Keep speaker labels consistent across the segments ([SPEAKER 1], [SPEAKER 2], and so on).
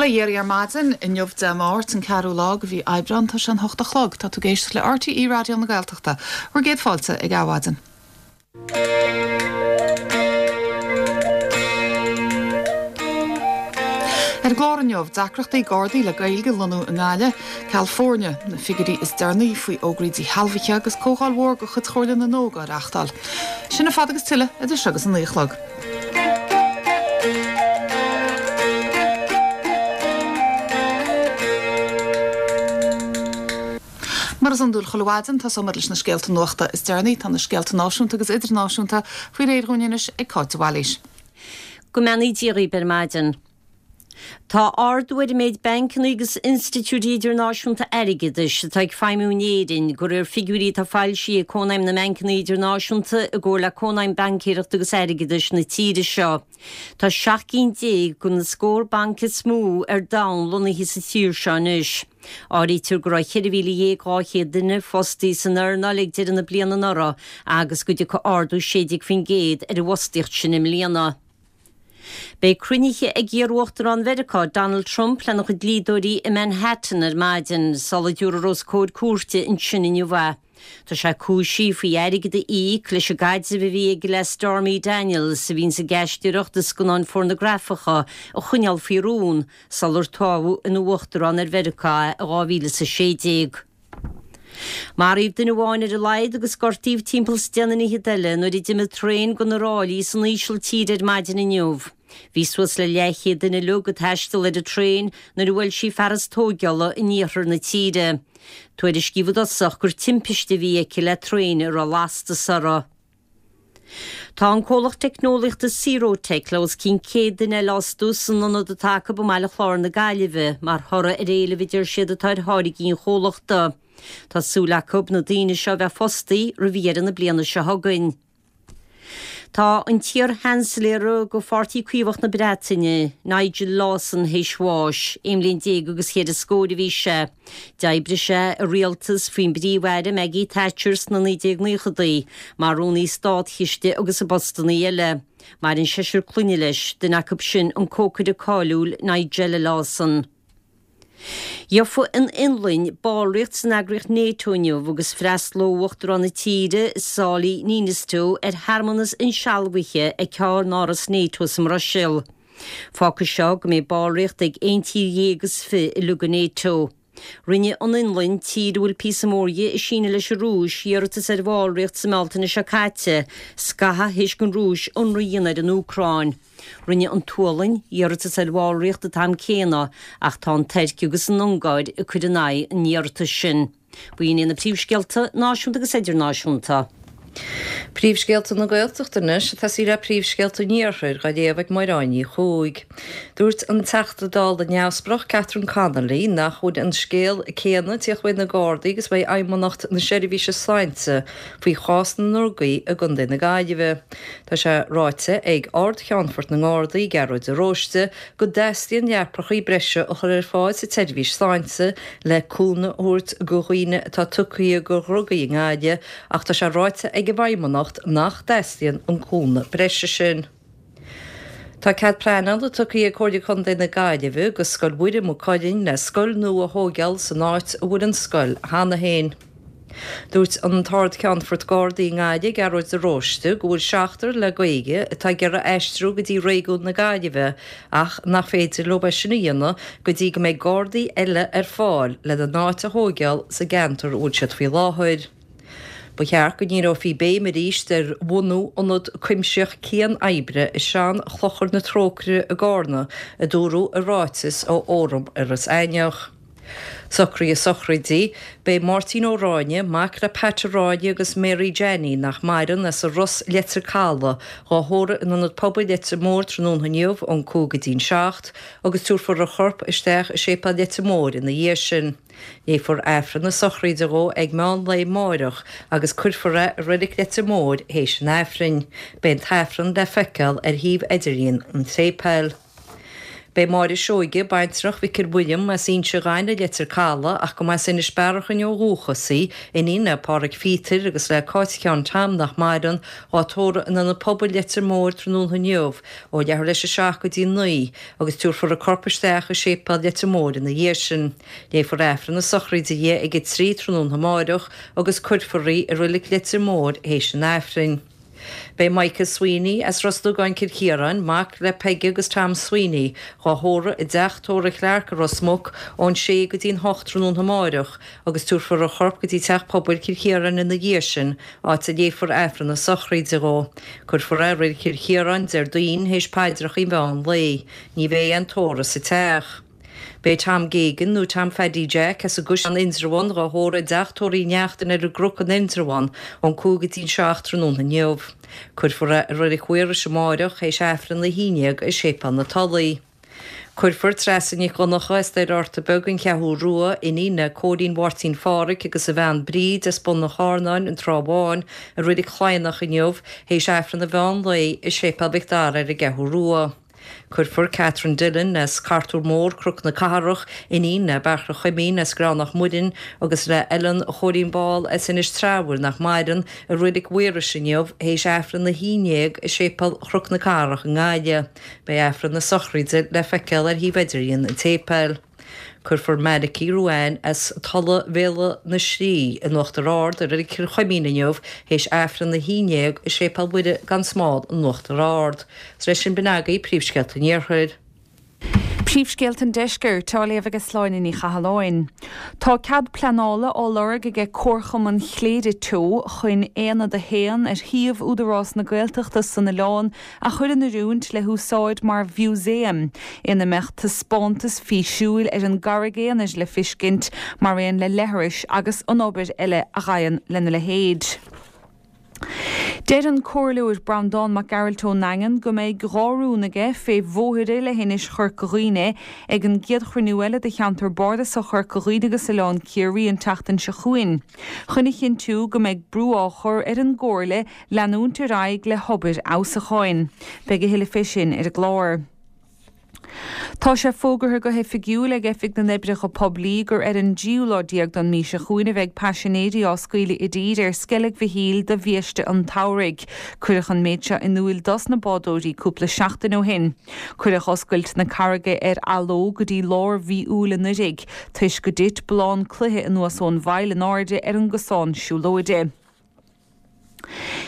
[SPEAKER 1] Bhuel, a Dhia ar maidin, inniu Dé Máirt, an ceathrú lá de mhí Aibreán, tá sé an hocht a chlog. Tá tú ag éisteacht le RTÉ Raidió na Gaeltachta. Bhur gcéad fáilte ag Adhmhaidin. Ar an gclár inniu, deacrachtaí Gardaí le Gaeilge a lonnú i nGaillimh, ceal foirne, na figiúirí is deireanaí faoi fhógraí díshealbhaithe agus comhdháil mhór de chuid Chomhairle na nÓg á reáchtáil. Sin ar fad agus tuilleadh idir seo agus a naoi a chlog. Mar is iondúil chuile mhaidin, tosóimid leis na scéalta nuachta is deireanaí. Tá na scéalta náisiúnta agus idirnáisiúnta faoi réir dhúinn anois ag Cáit de Bhailís.
[SPEAKER 2] Go mbeannaí Dia dhaoibh ar maidin. Tá ardú ar an méid bancanna agus institiúidí idirnáisiúnta airgeadais atá ag feidhmiú in Éirinn, de réir figiúirí atá foilsithe ag Cónaidhm na mBancanna Idirnáisiúnta i gcomhar le Cónaidhm Baincéireachta agus Airgeadais na tíre seo. Tá 17 cinn de na scór banc is mó ar domhan lonnaithe sa tír seo anois. Áirítear go raibh 14,200 duine fostaithe san earnáil ag deireadh na bliana anuraidh agus go dtiocfaidh ardú 16% ar an bhfostaíocht sin i mbliana. Beidh cruinnithe ag iar-uachtarán Mheiriceá, Donald Trump, lena chuid dlíodóirí i Manhattan ar maidin sula dtabharfar os comhair cúirte ansin inniu é. Tá sé cúisithe faoi airgead a íoc leis an gcaidreamh a bhí aige le Stormy Daniels, a bhíonns ag aisteoireacht i scannáin phornagrafacha, a choinneáil faoi rún sular toghadh ina uachtarán ar Mheiriceá é i 2016. Maraíodh duine amháin ar a laghad agus gortaíodh timpeall is deich nduine fhichead eile nuair a d'imigh traein de na ráillí san Ísiltír ar maidin inniu. Bhí suas le leathchéad duine uilig ag taisteal ar an traein nuair a bhuail sí fearas tóigeála in iarthar na tíre. Tuairiscíodh i dtosach gur timpiste a bhí aici le traein a raibh lastas uirthi. Tá an comhlacht teicneolaíochta Serotec le os cionn 100 duine eile a fhostú san ionad atá acu i mBaile Chláir na Gaillimhe mar thoradh ar éileamh a deir siad atá ar tháirgí an chomhlachta. Tá súil acu na daoine seo a bheith fostaí roimh dheireadh na bliana seo chugainn. Tá an t-iar-Sheansailéara do Pháirtí Caomhach na Breataine, Nigel Lawson, théis bháis. Aon bhliain déag agus cheithre scóir a bhí sé. D'oibrigh sé i rialtas faoin bPríomh-Aire Maggie Thatcher sna 1990idí, mar Rúnaí Státchiste agus i bpostannaí eile. Maireann seisear clainne leis, duine acu sin an cócaire cáiliúil Nigella Lawson. Gheofaidh an Fhionlainn ballraíocht san eagraíocht NATO inniu agus freastalóidh Uachtarán na tíre, Sauli Niinistö, ar shearmanas insealbhaithe ag ceannáras NATO sa mBruiséil. Fágfaidh seo go mbeidh ballraíocht ag aon tír dhéag is fi uilig i NATO. Rinne an Fhionlainn, tír a bhfuil píosa mór di ag síneadh leis an Rúis, iarratas ar bhallraíocht sa mBealtaine seo caite, scaitheamh théis don Rúis ionradh a dhéanamh ar an Úcráin. Rinne an tSualainn iarratas ar bhallraíocht an t-am céanna ach tá an Tuirc agus an Ungáir ag cur in aghaidh an iarratais sin. B'in iad na príomhscéalta náisiúnta agus idirnáisiúnta.
[SPEAKER 3] Príomhscéalta na Gaeltachta anois, ag tosaí le príomhscéalta an Iarthair, á léamh ag Máire Ní Chuaig. Dúirt an Teachta Dála neamhspleách Catherine Connolly nach bhfuil an scéal céanna ag tíocht uaidh na Gardaí agus uaidh Fheidhmeannacht na Seirbhíse Sláinte faoi chás na ndrugaí i gContae na Gaillimhe. Tá sé ráite ag Ard-Cheannfort na nGardaí, Gearóid de Róiste, go dteastaíonn leapachaí breise a chur ar fáil sa tseirbhís sláinte le cúnamh a thabhairt go dhaoine atá tugtha go dhrugaí i nGaillimh ach tá sé ráite ag an bhFeidhmeannacht nach dteastaíonn an cúnamh breise sin. Tá cead pleanála tugtha ag Comhairle Contae na Gaillimhe go Scoil Mhuire Maigh Cuilinn le scoil nua a thóigeáil san áit a bhfuil an scoil cheana féin. Dúirt an tArd-Cheannfort Gardaí i nGaillimh, Gearóid de Róiste, go bhfuil seachtar le Gaeilge atá ag iarraidh aistriú go dtí réigiún na Gaillimhe ach nach féidir leo é sin a dhéanamh go dtí go mbeidh Gardaí eile ar fáil lena n-áit a thóigeáil sa gceantar a bhfuil siad faoi láthair. Ba cheart go ndíreofaí béim arís ar bhunú ionad cuimsitheach cian-oibre i sean-Chlochar na Trócaire i gCarna, a dúradh i ráiteas ó Fhóram Iorras Aithneach. Socruithe sochraide, Beidh Máirtín Ó Ráinne, mac le Pat Ó Ráinne agus Mary Jeannie, nach maireann, as an Ros, Leitir Caladh, dhá thórramh in Ionad Pobail Leitir Móir tráthnóna inniu ón 5 go dtí'n 7 agus tabharfar a chorp isteach i Séipéal Leitir Móir ina dhiaidh sin. Léifear Aifreann na sochraide dhó ag meán lae amáireach agus cuirfear é i Reilig Leitir Móir théis an Aifrinn. Beidh an tAifreann le feiceáil ar shuíomh idirlíon an tséipéil. Beidh Máire Seoige, baintreach Mhicil William as Inse Ghainimh, Leitir Calaidh, ach go mba as Inis Bearachain ó dhúchas í, iníon le Páraic Phíotair agus le Cáit Sheáin Tom nach maireann, dhá tórramh in Ionad Pobail Leitir Móir tráthnóna inniu ó leathuair leis a 7 go dtí 9 agus tabharfar a corp isteach i Séipéal Leitir Móir ina dhiaidh sin. Léifear Aifreann na sochraide di ag 3 tráthnóna amáireach agus cuirfear í i Roilig Leitir Móir théis an Aifrinn. Beidh Michael Sweeney as Ros Dugáin Cill Chiaráin, mac le Peige agus Tom Sweeney, dhá thórramh i dteach tórraimh Clarke i Ros Muc ón sé go dtí'n hocht tráthnóna amáireach agus tabharfar a chorp go dtí Teach Pobail Chill Chiaráin ina dhiaidh sin, áit a léifear Aifreann na sochraide dhó. Cuirfear é i Reilig Chill Chiaráin Déardaoin théis paidreacha an mheán lae. Ní bheidh aon tórramh sa teach. Beidh Tom Geoghegan, nó Tom Pheaidí Jack, as an gCaisleán Indreabhán dhá thórramh i dteach tórraimh Uí Neachtain ar an gCnoc in Indreabhán ón 5 go dtí'n 7 tráthnóna inniu. Cuirfear é i Reilig Mhaorais amáireach théis Aifreann a 11 i Séipéal na Tulaí. Cuirfear Treasa Nic Dhonncha as Doire Fhorta Beag, An Cheathrú Rua, iníon le Cóilín Mháirtín Phádhraic agus a bhean Bríd as Bun an Charnáin, An Trá Bháin, i Reilig Chladhnach inniu théis Aifreann an mheán lae i Séipéal Mhic Dara ar an gCeathrú Rua. Cuirfear Catherine Dillon as Cartúr Mór, Cnoc na Cathrach, iníon le Beartla Chuimín as Greanach Muireann agus le Ellen Chóilín Ball as Inis Treabhair, nach maireann, i Reilig Mhaorais inniu théis Aifreann 11 i Séipéal Chnoc na Cathrach i nGaillimh. Beidh Aifreann na sochraide le feiceáil ar shuíomh idirlíon an tséipéil. Cuirfear Malachy Ruane as Tulaigh Bhéal na Slí in Uachtar Ard i Reilig Chill Chuimín inniu théis Aifreann 11 i Séipéal Mhuire gan Smál in Uachtar Ard. Is leis sin b'in agaibh príomhscéalta an Iarthair.
[SPEAKER 4] Príomhscéalta an Deiscirt, á léamh ag Sláine Ní Chathalláin. Tá cead pleanála á lorg aige Comharchumann Chléire Teo chun Aonad 1 ar shuíomh Údarás na Gaeltachta san oileán a chur in oiriúint le húsáid mar mhúsaem ina mbeadh taispeántas físiúil ar an gCarraig Aonair le fiscint mar aon le leithris agus an obair eile a ghabhann lena leithéid. Deir an Comhairleoir Breandán Mac Gearailt ón nDaingean go mbeidh dhá rún aige fé bhóithre le hInis Chorca Dhuibhne ag an gcéad chruinniú eile de Cheantar Bardasach Chorca Dhuibhne agus Oileán Ciarraí an tseachtain seo chugainn chun a chinntiú go mbeidh brú á chur ar an gComhairle leanúint ar aghaidh le hobair fheabhsúcháin. Beidh a thuilleadh fé sin ar an gclár. Tá sé fógartha go hoifigiúil ag Oifig na nOibreacha Poiblí gur ar an dtríú lá déag don mí seo chugainn a bheidh paisinéirí á scaoileadh i dtír ar Sceilg Mhichíl do bhiaiste an tsamhraidh. Cuireadh an méid seo in úil dos na bádóirí cúpla seachtain ó shin. Cuireadh oscailt na carraige ar athló go dtí lár mhí Iúil anuiridh, toisc go dtit ballán cloiche anuas ón bhfaill in airde ar an gcosán siúlóide.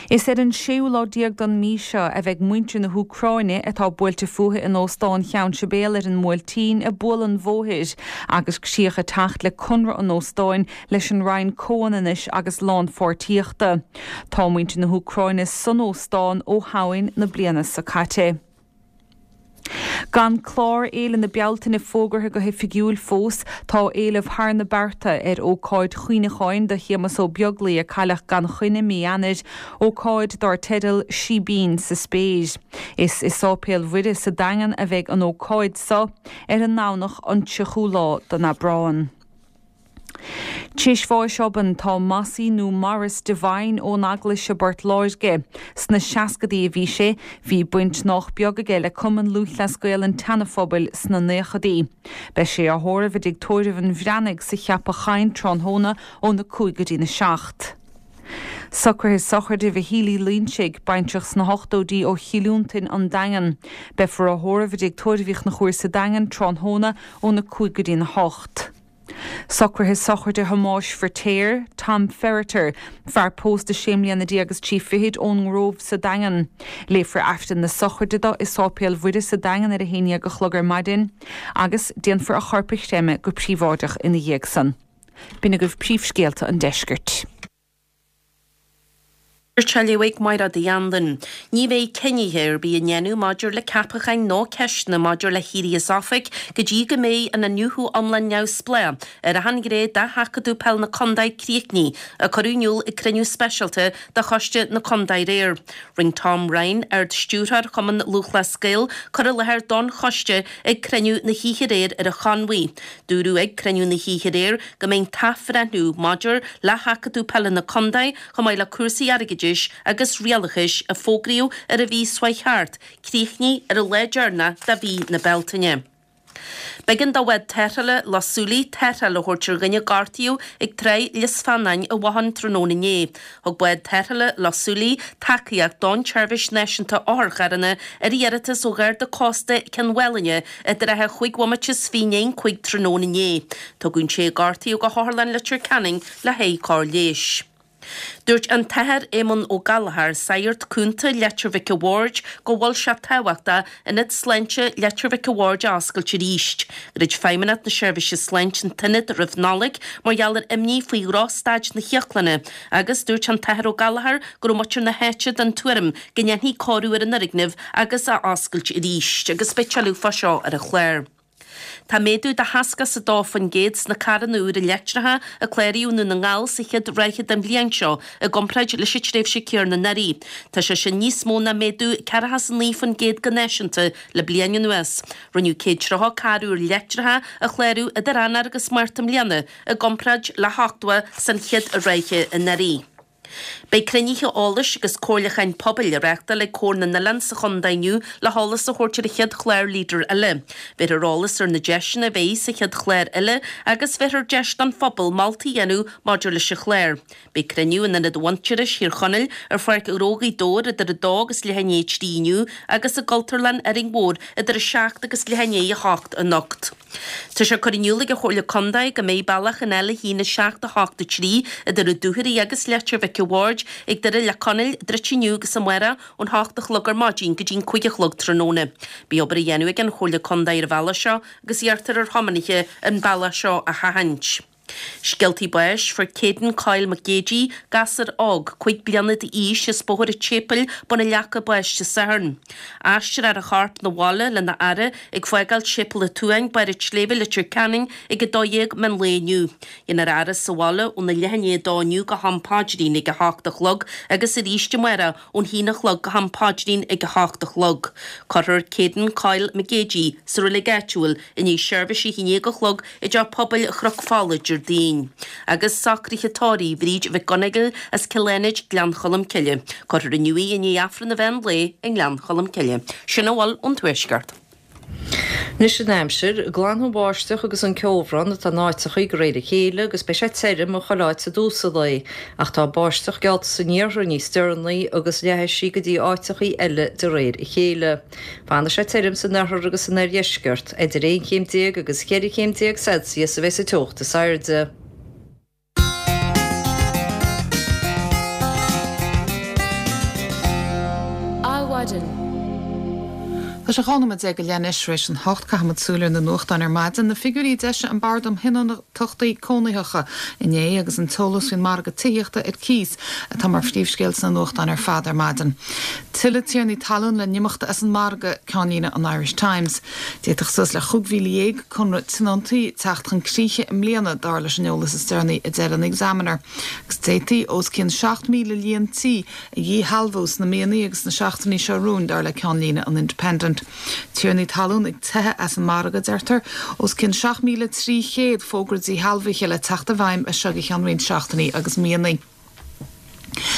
[SPEAKER 4] Is ar an séú lá déag don mí seo a bheidh muintir na hÚcráine atá buailte fúthu in Óstán Cheann Sibéal ar an mBuailtín ag bualadh an bhóthair agus críoch ag teacht le conradh an óstáin leis an Roinn Comhionannais agus Lánpháirtíochta. Tá muintir na hÚcráine san óstán ó Shamhain na bliana seo caite. Gan clár Fhéile na Bealtaine fógartha go hoifigiúil fós, tá éileamh thar na bearta ar ócáid chuimhneacháin do Shéamus Ó Beaglaoi a cailleadh gan choinne mí Eanáir, ócáid dár teideal 'Síbín sa Spéir'. Is i Sáipéal Mhuire sa Daingean a bheidh an ócáid seo ar an nDomhnach an 30ú lá den Aibreán. T'éis bháis obann tá Mossie nó Maurice Devine ón Eaglais i bPort Láirge. Sna seascadaí a bhí sé. Bhí baint nách beag aige le Cumann Lúthchleas Gael an tSeana-Phobail sna naochadaí. Beidh sé á thórramh i dtigh tórraimh an Bhreathnaigh sa Cheapach Choinn tráthnóna óna 5 go dtína 7. Socruithe sochraide Mhichíl Uí Loinsigh, baintreach sna hochtóidí ó Chill Fhionntain, An Daingean. Beifear á thórramh i dtigh tórraimh Uí Chonchúir sa Daingean tráthnóna óna 5 go dtína 8. Socruithe sochraide Thomáis Firtéar, Tom Ferriter, fear pósta sé mbliana déag is trí fichid ón nGrómh sa Daingean. Léifear Aifreann na sochraide do i Sáipéal Mhuire sa Daingean ar a haon dhéag a chlog ar maidin agus déanfar a chorp a chreimeadh go príobháideach ina dhiaidh san. B'in agaibh príomhscéalta an deiscirt.
[SPEAKER 2] Á léamh ag Mairéad Uí Anluain. Ní bheidh cinnithe ar bith á ndéanamh maidir le ceapacháin nó ceisteanna maidir le héirí as oifig go dtí go mbeidh an iniúchadh iomlán neamhspleách ar achan ghné de sheachadadh peil na contae críochnaithe, a cuireadh in iúl ag cruinniú speisialta de choiste na contae aréir. Rinne Tom Ryan, Ard-Stiúrthóir Chumann Lúthchleas Gael, cur i láthair don choiste ag cruinniú na hoíche aréir ar an Chonmhaigh. Dúradh ag cruinniú na hoíche aréir go mbeidh an t-athbhreithniú maidir le sheachadadh peile na contae chomh maith le cúrsaí airgeadais agus rialachais a fógraíodh ar an mhí seo chuaigh thart, críochnaithe ar an lá deireanach de mhí na Bealtaine.
[SPEAKER 5] B'éigean do bhád tarrthála Loch Súilí tarrtháil a thabhairt ar dhuine a gortaíodh ag Tráigh Lios Fionáin i bhFothain tráthnóna inné. Thug bád tarrthála Loch Súilí tacaíocht don tSeirbhís Náisiúnta Otharcharranna ar iarratas ó Gharda Cósta Cionn Mhálanna i dtrátha chúig bhomaite is fiche i ndiaidh an 5 tráthnóna inné. Tugadh an té a gortaíodh go hOtharlann Leitir Ceanainn le haghaidh cóir leighis. Dúirt an tAthair Éamonn Ó Gallchóir, Sagart Cúnta Leitir Mhic a' Bhaird, go bhfuil sé tábhachtach Ionad Sláinte Leitir Mhic a' Bhaird a oscailt arís. Dhruid Feidhmeannacht na Seirbhíse Sláinte an t-ionad roimh Nollaig mar gheall ar imní faoi dhrochstaid na híoclainne agus dúirt an tAthair Ó Gallchóir go raibh muintir na háite den tuairim go ndéanfaí cóiriú ar an fhoirgneamh agus é a oscailt arís agus beidh tuilleadh fá seo ar an chlár. Tá méadú de 62% sna carranna úra leictreacha a cláraíodh i nDún na nGall sa chéad ráithe den bhliain seo i gcomparáid leis an tréimhse céanna anuraidh. Tá sé sin níos mó ná méadú 49% go náisiúnta le bliain anuas. Rinneadh 130 carr úr leictreacha a chlárú idir Eanáir agus Márta i mbliana i gcomparáid le 80 san chéad ráithe anuraidh. Beidh cruinnithe eolais agus comhairliúcháin pobail á reáchtáil ag Comhar na nOileán sa chontae inniu le heolas a thabhairt ar an chéad chlár Leader eile. Bhéarfar eolas ar na deiseanna a bheidh sa chéad chlár eile agus bhéarfar deis don phobal moltaí a dhéanamh maidir leis an chlár. Beidh cruinniú in Ionad Mhuintearais Thír Chonaill ar Pháirc Ghnó Ghaoth Dobhair idir 2 agus leath i ndiaidh 3 inniu agus i gCultúrlann Árainn Mhór idir 7 agus leath i ndiaidh 8 anocht. Tá sé curtha in iúl ag an Chomhairle Contae go mbeidh bealach an L1 7 8 3 idir an Dúchoraidh agus Leitir Mhic a' Bhaird ag Doire Leac Chonaill druidte inniu agus amárach ón hocht a chlog ar maidin go dtí an 5 a chlog tráthnóna. Beidh obair á dhéanamh ag an Chomhairle Contae ar an bhealach seo agus iarrtar ar thiománaithe an bealach seo a sheachaint. Scéaltaí báis, Fuair Caden Coyle Mac Géidigh, gasúr óg, 5 bliana d'aois as Bóthar an tSéipéil, Bun an Leaca bás Dé Sathairn. Aistreofar a chorp 'na bhaile lena fhaire ag fágáil Séipéal an tSuain, Barr an tSléibhe, Leitir Ceanainn ag 12 meán lae inniu. Déanfar a fhaire sa bhaile óna leath i ndiaidh a dó inniu go ham paidrín ag a hocht a chlog agus arís amárach ón haon a chlog go ham paidrín ag a hocht a chlog. Cuirfear Caden Coyle Mac Géidigh sa reilig áitiúil i ndiaidh seirbhís a haon déag a chlog i dTeach Pobail Chnoc Fola Déardaoin. Agus socruithe tórraimh Bhríd Mhic Gonigle as Cill Fhánaid, Gleann Cholm Cille. Cuirfear inniu í i ndiaidh Aifreann an mheán lae i nGleann Cholm Cille. Sin a bhfuil ón Tuaisceart.
[SPEAKER 3] Anois an aimsir. Glanfaidh an bháisteach agus an ceobhrán atá in áiteachaí de réir a chéile agus beidh sé tirim i chuile áit i dtús an lae. Ach tá báisteach geallta san iarthar níos deireanaí agus leathfaidh sí go dtí áiteachaí eile de réir a chéile. Fanfaidh sé tirim san oirthear agus san oirdheisceart. Idir 11 chéim agus 14 chéim Celsius a bheidh sa teocht is airde.
[SPEAKER 1] Adhmhaidin. Tá sé 12 nóiméad go leith anois tar éis an hocht. Caithfimid súil ar na nuachtáin ar maidin. Na figiúirí a d'eisigh an Bord um Thionóntachtaí Cónaitheacha inné agus an t-eolas faoin margadh tithíochta ar cíos atá mar phríomhscéal sna nuachtáin ar fad ar maidin. Tuilleadh tiarnaí talún le n-imeacht as an margadh, ceannlíne an Irish Times. D'fhéadfadh suas le 15,000 conradh tionóntaí teacht chun críche i mbliana, dar leis an eolas is deireanaí, a deir an Examiner. Agus d'fhéadfaí os cionn 7,000 líon tí a dhíshealbhú sna míonna agus sna seachtainí seo romhainn, dar le ceannlíne an Independent. Tiarnaí talún ag teitheadh as an margadh, a deirtear. Os cionn 7,300 fógra díshealbhaithe le teacht i bhfeidhm as seo go ceann roinnt seachtainí agus míonna.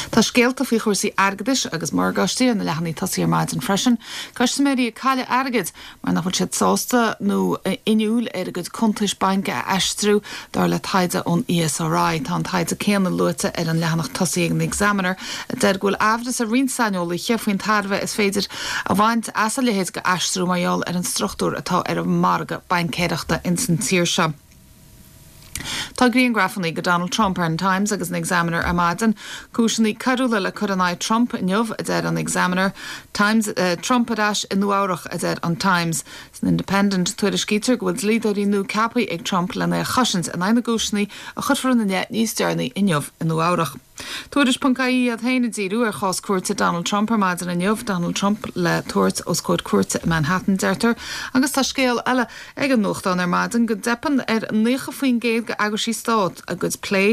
[SPEAKER 1] Tá scéalta faoi chúrsaí airgeadais agus morgáistí ar na leathanaigh tosaigh ar maidin freisin. Custaiméirí ag cailleadh airgid mar nach bhfuil siad sásta nó inniúil ar a gcuid cuntais bainc a aistriú, dar le taighde ón ESRI. Tá an taighde céanna luaite ar an leathanach tosaigh ag an Examiner, a deir go bhfuil aimhreas ar roinnt saineolaithe faoin tairbhe is féidir a bhaint as a leithéid d'aistriú mar gheall ar an struchtúr atá ar an margadh baincéireachta ins an tír seo. Tá grianghrafanna de Donald Trump ar an Times agus an Examiner ar maidin. Cúiseanna coiriúla le cur in aghaidh Trump inniu, a deir an Examiner. Times, Trump ar ais i Nua-Eabhrac, a deir an Times. San Independent, tuairiscítear go bhfuil dlíodóirí nua ceaptha ag Trump lena chosaint in aghaidh na gcúiseanna a chuirfear ina leith níos deireanaí inniu i Nua-Eabhrac. Tuairisc ponc ie iad féin ag díriú ar chás cúirte Donald Trump ar maidin inniu, Donald Trump le tabhairt os comhair cúirte i Manhattan, deirtear, agus tá scéal eile ag an nuachtán ar maidin go dteipeann ar 90% d'eagraisí stáit a gcuid plé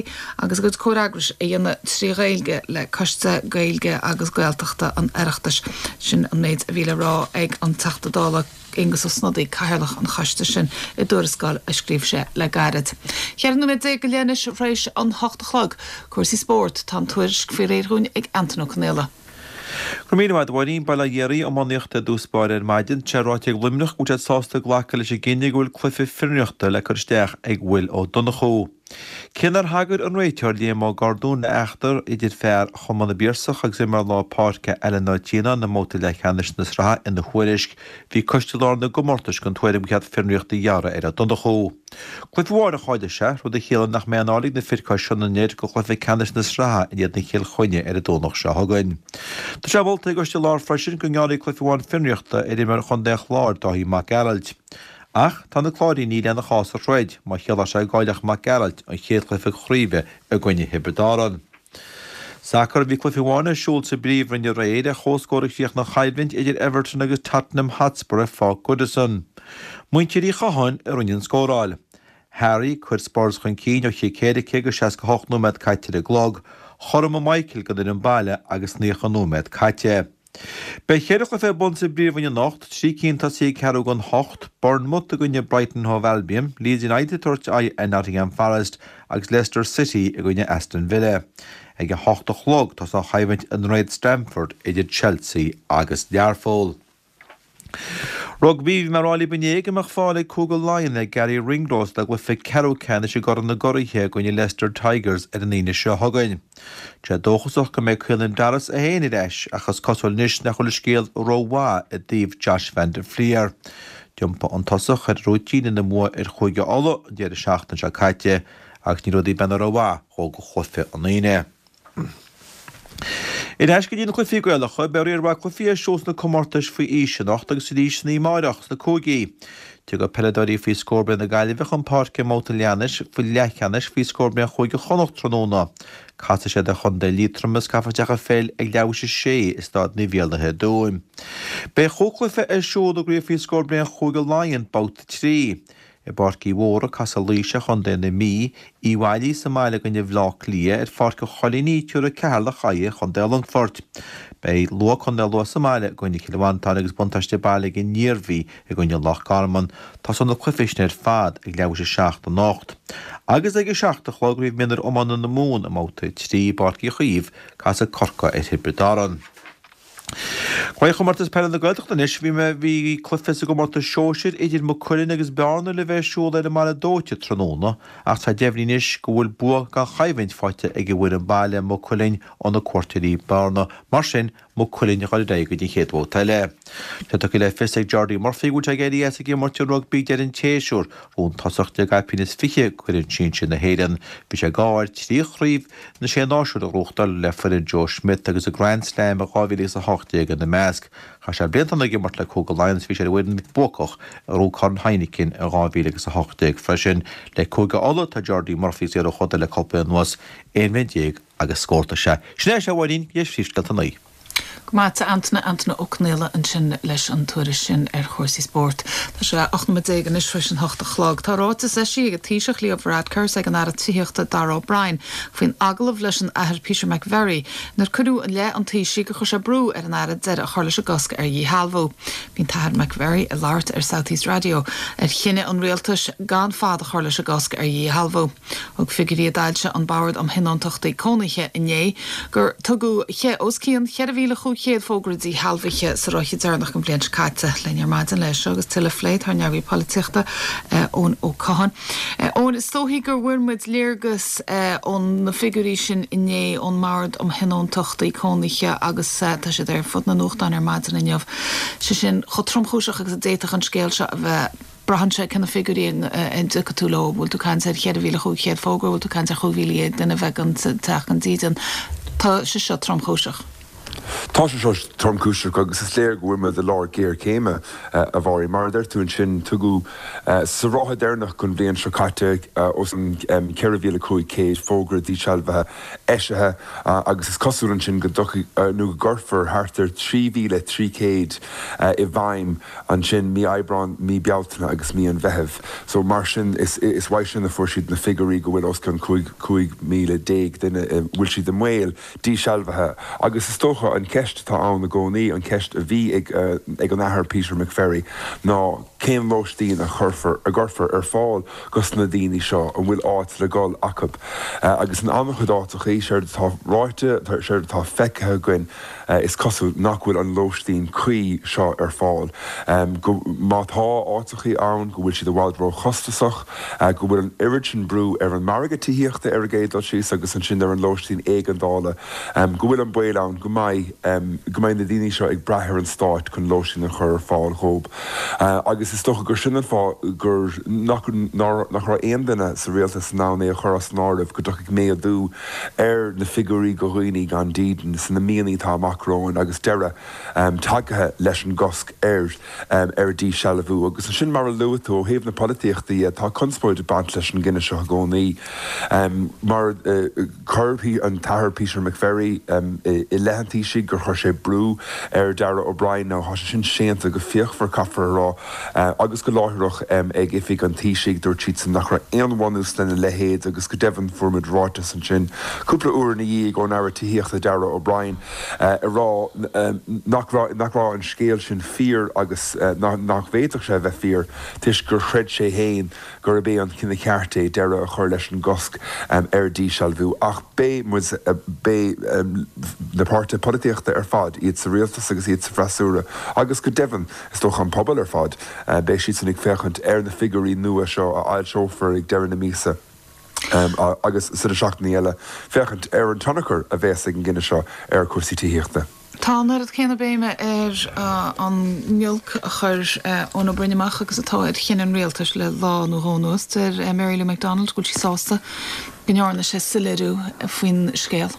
[SPEAKER 1] agus a gcuid comhfhreagrais a dhéanamh trí Ghaeilge le Coiste Gaeilge agus Gaeltachta an Oireachtais. Sin an méid a bhí le rá ag an Teachta Dála. Aengus Ó Snodaigh, Cathaoirleach an choiste sin, i dtuarascáil a scríobh sé le gairid. 14 nóiméad go leith anois tar éis an hocht a chlog. Cúrsaí spóirt, tá an tuairisc faoi réir dhúinn ag Antain Ó Conaola.
[SPEAKER 6] Go raibh míle maith agat a Mháirín. Bail ó Dhia oraibh. Iománaíocht i dtús báire ar maidin. Tá sé ráite ag Luimneach go bhfuil siad sásta glacadh leis an gcinneadh go bhfuil cluiche fionraíochta le cur isteach ag Will Ó Donnchú. Cé nár thagair an réiteoir Liam Ó Gordúin le eachtra idir fear Chumann na bPiarsach agus imreoir lár páirce Alan Ó Tianáin i mbabhta leathcheannais na sraithe ina thuairisc, bhí Coiste Láir na gComórtais den tuairim gur cheart fionraíocht a ghearradh ar Ó Donnchú. Cluiche amháin a chaillfidh sé, rud a chiallaíonn nach mbeidh anáil ag na fir cois Sionainne air go chluiche ceannais na sraithe in éadan Chill Chainnigh ar an Domhnach seo chugainn. Tá sé molta ag an gCoiste Láir freisin go ngearrfaí cluiche amháin fionraíochta ar imreoir chontae an Chláir, Dáithí Mac Gearailt. Ach tá na Cláirínigh lena chás a throid má chiallódh sé go gcaillfeadh Mac Gearailt an chéad chluiche craoibhe i gcoinne Thiobraid Árann. Sacar, Bhí cluiche amháin ar siúl sa bPríomhroinn aréir ar comhscór a chríochnaigh an choimhlint idir Everton agus Tottenham Hotspur ar Pháirc Goodison. Muintir Uí Chatháin a rinne an scóráil. Harry chuir Spurs chun cinn ó chic éirice agus 68 nóiméad caite ar an gclog. Chothromaigh Michael don fhoireann baile agus 90 nóiméad caite. Beidh cheithre chluiche ar bun sa bPríomhroinn anocht, 3 cinn tosaithe ag ceathrú don hocht, Bournemouth i gcoinne Brighton Hove Albion, Leeds United ag tabhairt aghaidh ar Nottingham Forest agus Leicester City i gcoinne Aston Villa. Ag a hocht a chlog tosóidh an choimhlint i nDroichead Stamford idir Chelsea agus Learpholl. Rugbaí, Bhí mé ag rá libh inné go mbeadh fáil ag Cúige Laighean ar Garry Ringrose dá gcluiche ceathrú ceannais i gCorn na gCuraithe i gcoinne Leicester Tigers ar an Aoine seo chugainn. Tá sé dóchasach go mbeidh Caelan Doris é féin ar ais ach is cosúil anois nach bhfuil an scéal rómhaith i dtaobh Josh van der Flier. D'iompaigh an tosach ar a rúitín ina mbua ar Chúige Uladh an deireadh seachtaine seo caite agus ní rudaí ag breathnú rómhaith dhó do chluiche an Aoine. Ar ais go dtí na cluichí Gaelacha, beidh riar mhaith cluichí ar siúl sna comórtais faoi aois anocht agus arís san oíche amárach sna cúigí. Tiocfaidh peileadóirí faoi scór bliain na Gaillimhe chun páirce i mbabhta leathcheannais faoi scór bliain Chúige Chonnacht tráthnóna. Casfaidh siad ar chontae Liatroma is caithfear isteach an pheil ag leathuair théis a sé i Staid Naomh Iarlaithe i dTuaim. Beidh chúig chluiche ar siúl i gcraobh faoi scór bliain Chúige Laighean, babhta 3. I bPáirc Uí Mhórdha, casfaidh Laois ar chontae na Mí, Uíbh Fhailí sa mbaile i gcoinne Bhaile Átha Cliath, ar Pháirc an Choilínigh, tabharfaidh Ceatharlach aghaidh ar chontae an Longfoirt. Beidh Lú, Contae Lú sa mbaile i gcoinne Chill Mhantáin agus buntáiste baile ag an Iarmhí i gcoinne Loch Garman. Tosóidh na cluichí sin ar fad ag leathuair théis a 7 anocht. Agus ag a 7 a chlog, craobh mionúir iomána na Mumhan i mbabhta 3 i bPáirc Uí Chaoimh, casfaidh Corcaigh ar Thiobraid Árann. Craobhchomórtas Peile na Gaeltachta anois. Bhí mé bhí cluiche sa gcomórtas sóisir idir Maigh Cuilinn agus Bearna le bheith ar siúl ar an mBaile Dóite tráthnóna ach tá deimhnithe anois go bhfuil bua gan choimhlint faighte ag an bhfoireann baile, Maigh Cuilinn, ó na cuairteoirí Bearna. Mar sin, Maigh Cuilinn a dhul ar aghaidh go dtí an chéad bhabhta eile. Tá tugtha le fios ag Jordi Murphy go bhfuil sé ag éirí as ag imirt an rugbaí ag deireadh an tséasúir. Rún tosach le caipín is 20 d'fhoireann sinsir na hÉireann. Bhí sé ag ádh air 3 chraobh na Sé Náisiún a ghnóthachtáil le foireann Joe Schmidt agus an Grand Slam i 2018 ina measc. Chaith sé blianta ann ag imirt le Cúige Laighean agus bhí sé ar an bhfoireann bhuacach a ghnóthaigh Corn Heineken in 2018 freisin. Le Cúige Uladh tá Jordi Murphy ag saothrú choda le cúpla bliain anuas, 11 bhliain agus scórtha. Sin é a Mháirín, go dtí phríomhscéalta a naoi.
[SPEAKER 1] Go maith agat a Antaine, Antaine Ó Conaola ansin leis an tuairisc sin ar chúrsaí spóirt. Tá sé 18 nóiméad anois tar éis an hocht a chlog. Tá ráiteas eisithe ag an Taoiseach Leo Varadkar is ag an Aire Tithíochta Darragh O'Brien faoin agallamh leis an Athair Peter McVerry inar cuireadh i leith an Taoisigh gur chuir sé brú ar an Aire deireadh a chur leis an gcosc ar dhíshealbhú. Bhí an tAthair McVerry ag labhairt ar South East Radio ar chinneadh an rialtais gan fad a chur leis an gcosc ar dhíshealbhú. Thug figiúirí a d'fhoilsigh an Bord um Thionóntachtaí Cónaithe inné gur tugadh os cionn 4,500 fógra díshealbhaithe sa ráithe deireanach den bhliain seo caite. Linn ar maidin leis seo agus tuilleadh a phlé tá ár n-eagraí polaitíochta, Eoin Ó Catháin. Eoin, is dóichí gur bhfuair muid léargas ó na figiúirí sin inné ón mBord um Thionóntachtaí Cónaithe agus tá siad ar fud na nuachtán ar maidin inniu. Sé sin, chomh tromchúiseach agus a d'fhéadfadh an scéal seo a bheith. Braitheann sé cé na figiúirí a dtiocfaidh tú leo, bhfuil tú ag caint ar 4,500 fógra, bhfuil tú ag caint ar 15,000 duine a bheith gan teach gan dídean. Tá sé seo tromchúiseach.
[SPEAKER 7] Tá sé seo tromchúiseach agus is léir go bhfuil muid i lár géarchéime, a Mháirín. Mar a deir tú ansin, tugadh sa ráithe deireanach den bhliain seo caite os cionn 4,500 fógra dísealbhaithe eisithe agus is cosúil ansin go dtiocfaidh nó go gcuirfear thart ar 3,300 i bhfeidhm Ansin, mí Aibreáin, mí Bealtaine agus mí an Mheithimh. So, mar sin, is is uaidh sin a fuair siad na figiúirí go bhfuil os cionn 15,000 duine, bhfuil siad i mbaol dísealbhaithe. Agus is dócha, an cheist. cheist atá ann i gcónaí, an cheist a bhí ag ag an Athair Peter McVerry ná cén lóistín a chuirfear, a gcuirfear ar fáil dos na daoine seo, an bhfuil áit le dhul acu? Agus in an-chuid áiteachaí, séard atá ráite, séard atá feicthe againn, is cosúil nach bhfuil an lóistín cuí seo ar fáil, go, má tá áiteachaí ann, go bhfuil siad i bhfad róchostasach, go bhfuil an oiread sin brú ar an margadh tithíochta ar an gcéad dul síos agus ansin ar an lóistín éigeandála, go bhfuil an baol ann go mbeidh, go mbeidh na daoine seo ag brath ar an stát chun lóistín a chur ar fáil dhóib. Agus is dócha gur sin an fáth gur, nach, nach raibh aon duine sa rialtas in ann é a chur as an áireamh go dtiocfaidh méadú ar na figiúirí go dhaoine gan dídean sna míonna atá amach romhainn agus deireadh tagtha leis an gcosc ar ar díshealbhú. Agus ansin, mar a luaigh tú, ó thaobh na polaitíochta dhe, tá conspóid ag baint leis an gcinneadh seo i gcónaí. Mar chuir an tAthair Peter McVerry i leith an Taoisigh gur chuir sé brú ar Darragh O'Brien, now tá sé sin séanta go fíochmhar, caithfear a rá. Agus go láithreach ag oifig an Taoisigh, dúirt siadsan nach raibh aon bhunús lena leithéid agus go deimhin fuair muid ráiteas ansin cúpla uair ina dhiaidh ón Aire Tithíochta Darragh O'Brien ag rá nach raibh nach raibh an scéal sin fíor agus nach bhféadfadh sé a bheith fíor toisc gur chreid sé féin gurb é an cinneadh ceart é deireadh a chur leis an gcosc ar dhíshealbhú. Ach beidh muid, beidh na páirtithe polaitíochta ar fad, iad sa rialtas agus iad sa bhfreasúra agus go deimhin, is dócha an pobal ar fad, beidh siadsan ag féachaint ar na figiúirí nua seo a fhoilseofar ag deireadh na míosa agus sna seachtainí eile, féachaint ar an tionchar a bheas ag an gcinneadh seo ar chúrsaí tithíochta.
[SPEAKER 1] Tá an oiread céanna béime ar an ngiolc a chuir Eoin Ó Broin amach agus atá ar chinneadh an rialtais le lá nó dhó anuas. Deir Mary Lou McDonald go bhfuil sí sásta go ndearna sé soiléiriú faoin scéal.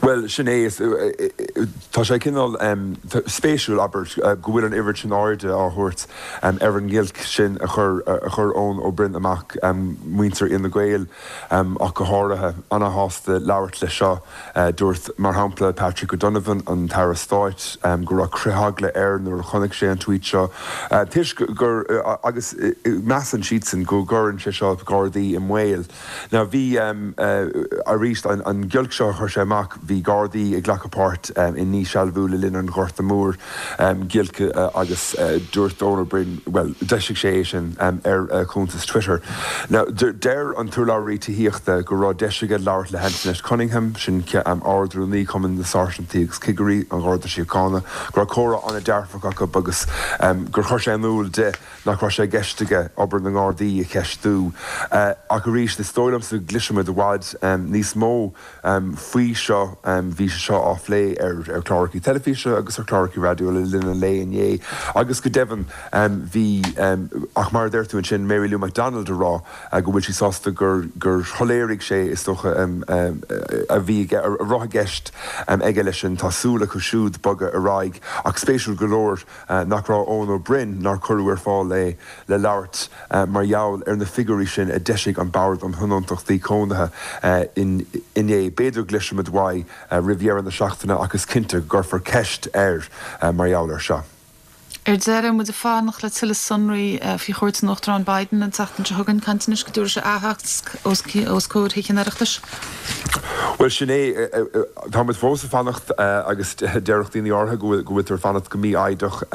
[SPEAKER 7] Bhuel, sin é. Tá sé cineál spéisiúil, abair, go bhfuil an oiread sin airde á thabhairt ar an ngiolc sin a chuir a chuir Eoin Ó Broin amach, muintir Fhine Gael ach go háirithe, ana-shásta labhairt leis seo. Dúirt, mar shampla, Patrick O'Donovan, an tAire Stáit, go raibh critheagla air nuair a chonaic sé an tweet seo, toisc gur, agus measann siadsan go gcuireann sé seo Gardaí i mbaol. Now bhí, arís, an giolc seo a chuir sé amach, bhí Gardaí ag glacadh páirt i ndíshealbhú le linn an Ghorta Mhóir, giolc agus dúirt Eoin Ó Broin, bhuel, d'eisigh sé é sin ar a chuntas Twitter. Now, deir an t-urlabhraí tithíochta go raibh deis aige labhairt le hAntoinette Cunningham, sin Ard-Rúnaí Chumann na Sáirsintí agus Cigirí an Gharda Síochána, go raibh comhrá an-dearfach acu agus gur chuir sé in iúl di nach raibh sé i gceist aige obair na nGardaí a cheistiú. Ach arís, is dóigh liomsa go gcloisfimid i bhfad níos mó faoi seo. Bhí sé seo á phlé ar chláracha teilifíse agus ar chláracha raidió le linn an lae inné agus go deimhin bhí, ach mar a deir tú ansin, Mary Lou McDonald ag rá go bhfuil sí sásta gur gur shoiléirigh sé, is dócha, a bhí a raibh i gceist aige leis sin. Tá súil acu siúd bogadh ar aghaidh ach spéisiúil go leor, nach raibh Eoin Ó Broin, nár cuireadh ar fáil é le labhairt mar gheall ar na figiúirí sin a d'eisigh an Bord um Thionóntachtaí Cónaithe inné. B'fhéidir go gcloisfimid uaidh roimh dheireadh na seachtaine ach is cinnte go gcuirfear ceist air mar gheall air seo.
[SPEAKER 1] Ar deireadh, muid ag fanacht le tuilleadh sonraí faoi chuairt an Uachtaráin Biden an tseachtain seo chugainn. Caint anois go dtabharfaidh sé aitheasc os comhair Thithe an Oireachtais.
[SPEAKER 7] Bhuel, sin é. Tá muid fós ag fanacht agus déarfadh daoine áirithe go bhfuiltear ag fanacht go mífhoighdeach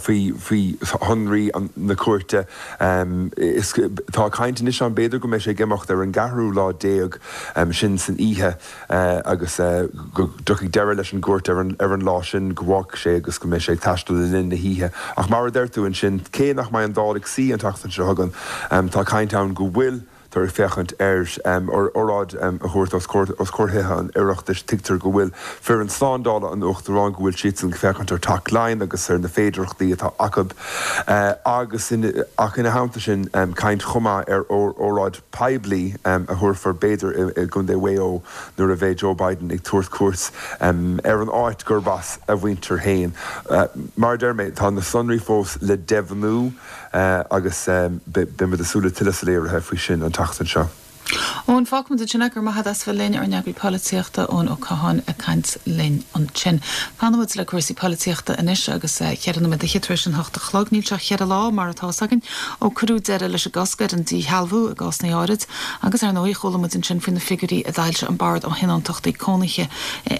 [SPEAKER 7] faoi faoi shonraí na cuairte. Tá caint anois ann b'fhéidir go mbeidh sé ag imeacht ar an gceathrú lá déag, sin san oíche, agus go dtiocfaidh deireadh leis an gcuairt ar an lá sin, go bhfágfaidh sé agus go mbeidh sé ag taisteal le linn na hoíche. Ach mar a deir tú ansin, cé nach mbeidh an Dáil ag suí an tseachtain seo chugainn, tá caint ann go bhfuil tar ag féachaint ar óráid a thabhairt os comhair Thithe an Oireachtais. Tuigtear go bhfuil foireann slándála an Uachtaráin, go bhfuil siadsan ag féachaint ar Theach Laighean agus ar na féidearthachtaí atá acu agus ach ina theannta sin caint chomh maith ar óráid poiblí a thabharfar b'fhéidir i gContae Mhaigh Eo nuair a bheidh Joe Biden ag tabhairt cuairt ar an áit gurb as a mhuintir féin. Mar a deir mé, tá na sonraí fós le deimhniú. Agus beidh muid ag súil le tuilleadh soiléirithe faoi sin an tseachtain seo.
[SPEAKER 1] Eoin, fágfaimid ansin é, go raibh maith agat as bheith linn, ár n-eagraí polaitíochta, Eoin Ó Catháin ag caint linn ansin. Fanfaimid le cúrsaí polaitíochta anois agus cheithre nóiméad fhichead tar éis an hocht a chlog. Níl sé ach cheithre lá, mar atá fhios againn, ó cuireadh deireadh leis an gcosc ar an díshealbhú i gcásanna áirid agus ar ndóigh chuala muid ansin faoi na figiúirí a d'fhoilsigh an Bord um Thionóntachtaí Cónaithe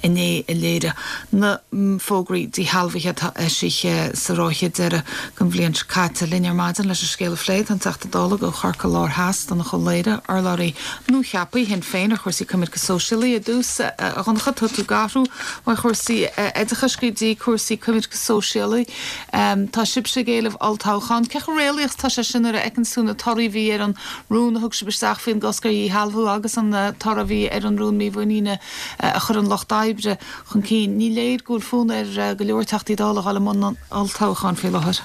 [SPEAKER 1] inné a léirigh na fógraí díshealbhaithe atá eisithe sa ráithe deiridh den bhliain seo caite. Linn ar maidin leis an scéal a phlé tá an Teachta Dála do Chorcaigh Láir Theas, Donnchadh Ó Laoghaire, urlabhraí nuacheaptha Shinn Féin ar chúrsaí coimirce sóisialaí. Ar dtús, a Dhonncha, tá tú ag athrú ó chúrsaí oideachais go dtí cúrsaí coimirce sóisialaí. Tá sibhse ag éileamh olltoghchán. Cé chomh réalaíoch is atá sé sin nuair a fheiceann tú na torthaí a bhí ar an rún a thug sibh isteach faoin gcosc ar dhíshealbhú agus an toradh a bhí ar an rún mímhuiníne a chuir an Lucht Oibre chun cinn. Ní léir go bhfuil fonn ar go leor Teachtaí Dála a dhul i mbun an olltoghcháin faoi láthair.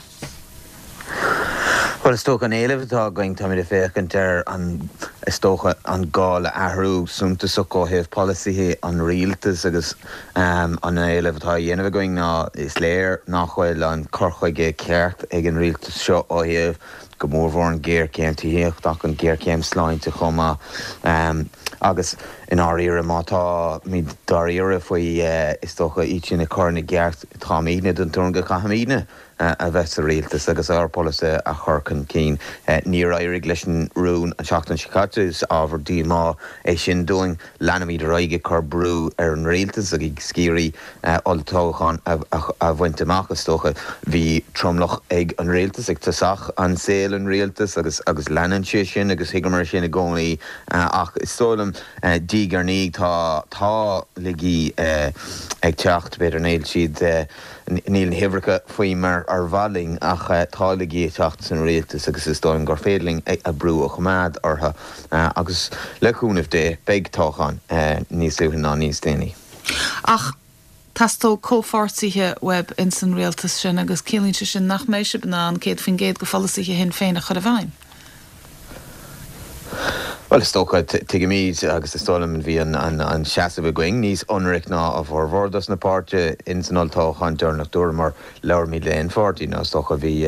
[SPEAKER 8] Bhuel, is dócha an éileamh atá againn, táimid ag féachaint ar an, is dócha, an gá le athrú suntasach ó thaobh polasaithe an rialtais agus an éileamh atá á dhéanamh againn ná is léir nach bhfuil an cur chuige ceart ag an rialtas seo ó thaobh go mórmhór an ghéarchéim tithíochta ach an ghéarchéim sláinte chomh maith. Agus i ndáiríre, má táimid dáiríre faoi, is dócha, iad sin a chur ina gceart, táimidne den tuairim go gcaithfimidne a bheith sa rialtas agus ár bpolasaithe a chur chun cinn. Níor éirigh leis an rún an tseachtain seo caite, is ábhar díomá é sin dúinn. Leanfaimid ar aghaidh ag cur brú ar an rialtas agus ag iarraidh olltoghchán a bhaint amach, is dócha. Bhí tromlach ag an rialtas ag tosach an saol an rialtais agus agus leanann sé sin agus thuigeamar sin i gcónaí ach is dóigh liom diaidh ar ndiaidh tá tá laigí ag teacht, b'fhéidir níl siad níl na huimhreacha faoi mar ar mhaith linn ach tá laigí ag teacht san rialtas agus is dóigh liom gur féidir linn a brú a choimeád orthu agus le cúnamh Dé beidh toghchán níos luaithe ná níos déanaí.
[SPEAKER 1] Ach teastóidh comhpháirtithe uaibh ins an rialtas sin agus ciallaíonn sé sin nach mbeidh sibh in ann 100% de pholasaithe Shinn Féin a chur i bhfeidhm.
[SPEAKER 8] Bhuel, is dócha, tuigimid agus is dóigh liom bhí an seasamh againn níos ionraic ná a bhformhór dos na páirtithe ins an olltoghchán deireanach dúramar labhraímid le haon pháirtí nó is dócha bhí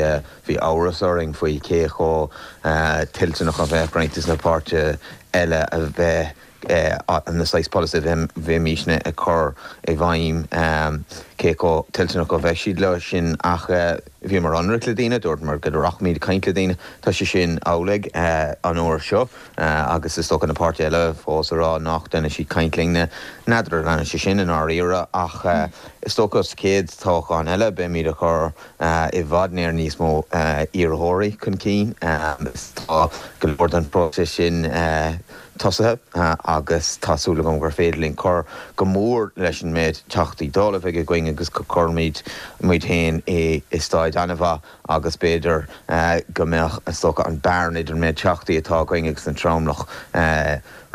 [SPEAKER 8] bhí amhras orainn faoi cé chomh toilteanach a bheadh roinnt dos na páirtithe eile a bheith na saghas polasaithe a bheimísne ag cur i bhfeidhm, cé chomh toilteanach a bheadh siad leo sin ach bhíomar ionraic le daoine, dúramar go rachaimid ag caint le daoine. Tá sé sin amhlaidh an uair seo agus is dócha na páirtithe eile fós ag rá nach ndearna siad caint linne. N'fheadar an ndearna sé sin i ndáiríre ach is dócha sa chéad toghchán eile beimid ag cur i bhfad níos mó iarrthóirí chun cinn. Tá go leor den phróiseas sin tosaithe agus tá súil agam gur féidir linn cur go mór leis an méid Teachtaí Dála a bheidh againn agus go gcuirfimid muid féin i staid an-mhaith agus b'fhéidir go mbeadh, is dócha, an bearna idir an méid Teachtaí atá againn agus an tromlach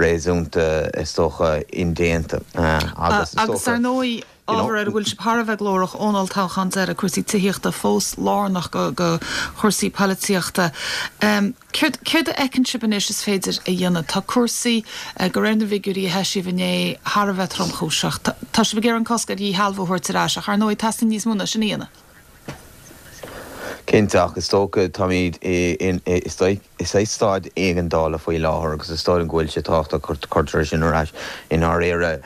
[SPEAKER 8] réasúnta, is dócha, indéanta
[SPEAKER 1] agus is dócha. Agus ar ndóigh, ábhar ar a bhfuil sibh thar a bheith glórach ón olltoghchán deiridh, cúrsaí tithíochta fós lárnach go chúrsaí polaitíochta. Céard, céard a fheiceann sibh anois is féidir a dhéanamh? Tá cúrsaí, de réir na bhfigiúirí a heisíodh inné, thar a bheith tromchúiseach. Tá sibh ag iarraidh an cosc ar dhíshealbhú a thabhairt ar ais, ach ar ndóigh teastaíonn níos mó ná sin a dhéanamh.
[SPEAKER 8] Cinnte, ach is dócha, táimid i, i staid éigeandála faoi láthair agus is dóigh liom go bhfuil sé tábhachtach go gcuirtear sin ar ais i ndáiríre.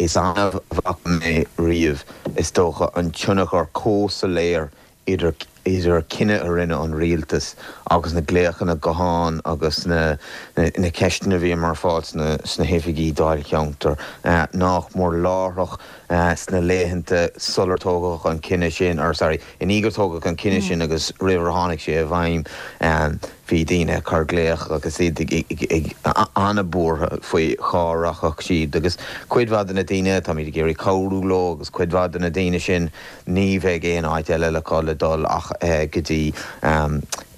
[SPEAKER 8] Is annamh a bhfaca mé riamh, is dócha, an tionchar chomh soiléir idir idir cinneadh a rinne an rialtas agus na glaochanna gutháin agus na na ceisteanna a bhíomar ag fáil sna sna hoifigí dáilcheantair nach mór láithreach sna laethanta sular tógadh an cinneadh sin, or sorry, i ndiaidh gur tógadh an cinneadh sin agus roimh ar tháinig sé i bhfeidhm. Bhí daoine ag cur glaoch agus iad an-bhuartha faoi cá rachadh siad agus cuid mhaith de na daoine, táimid ag iarraidh cabhrú leo agus cuid mhaith de na daoine sin ní bheidh aon áit eile acu le dul ach go dtí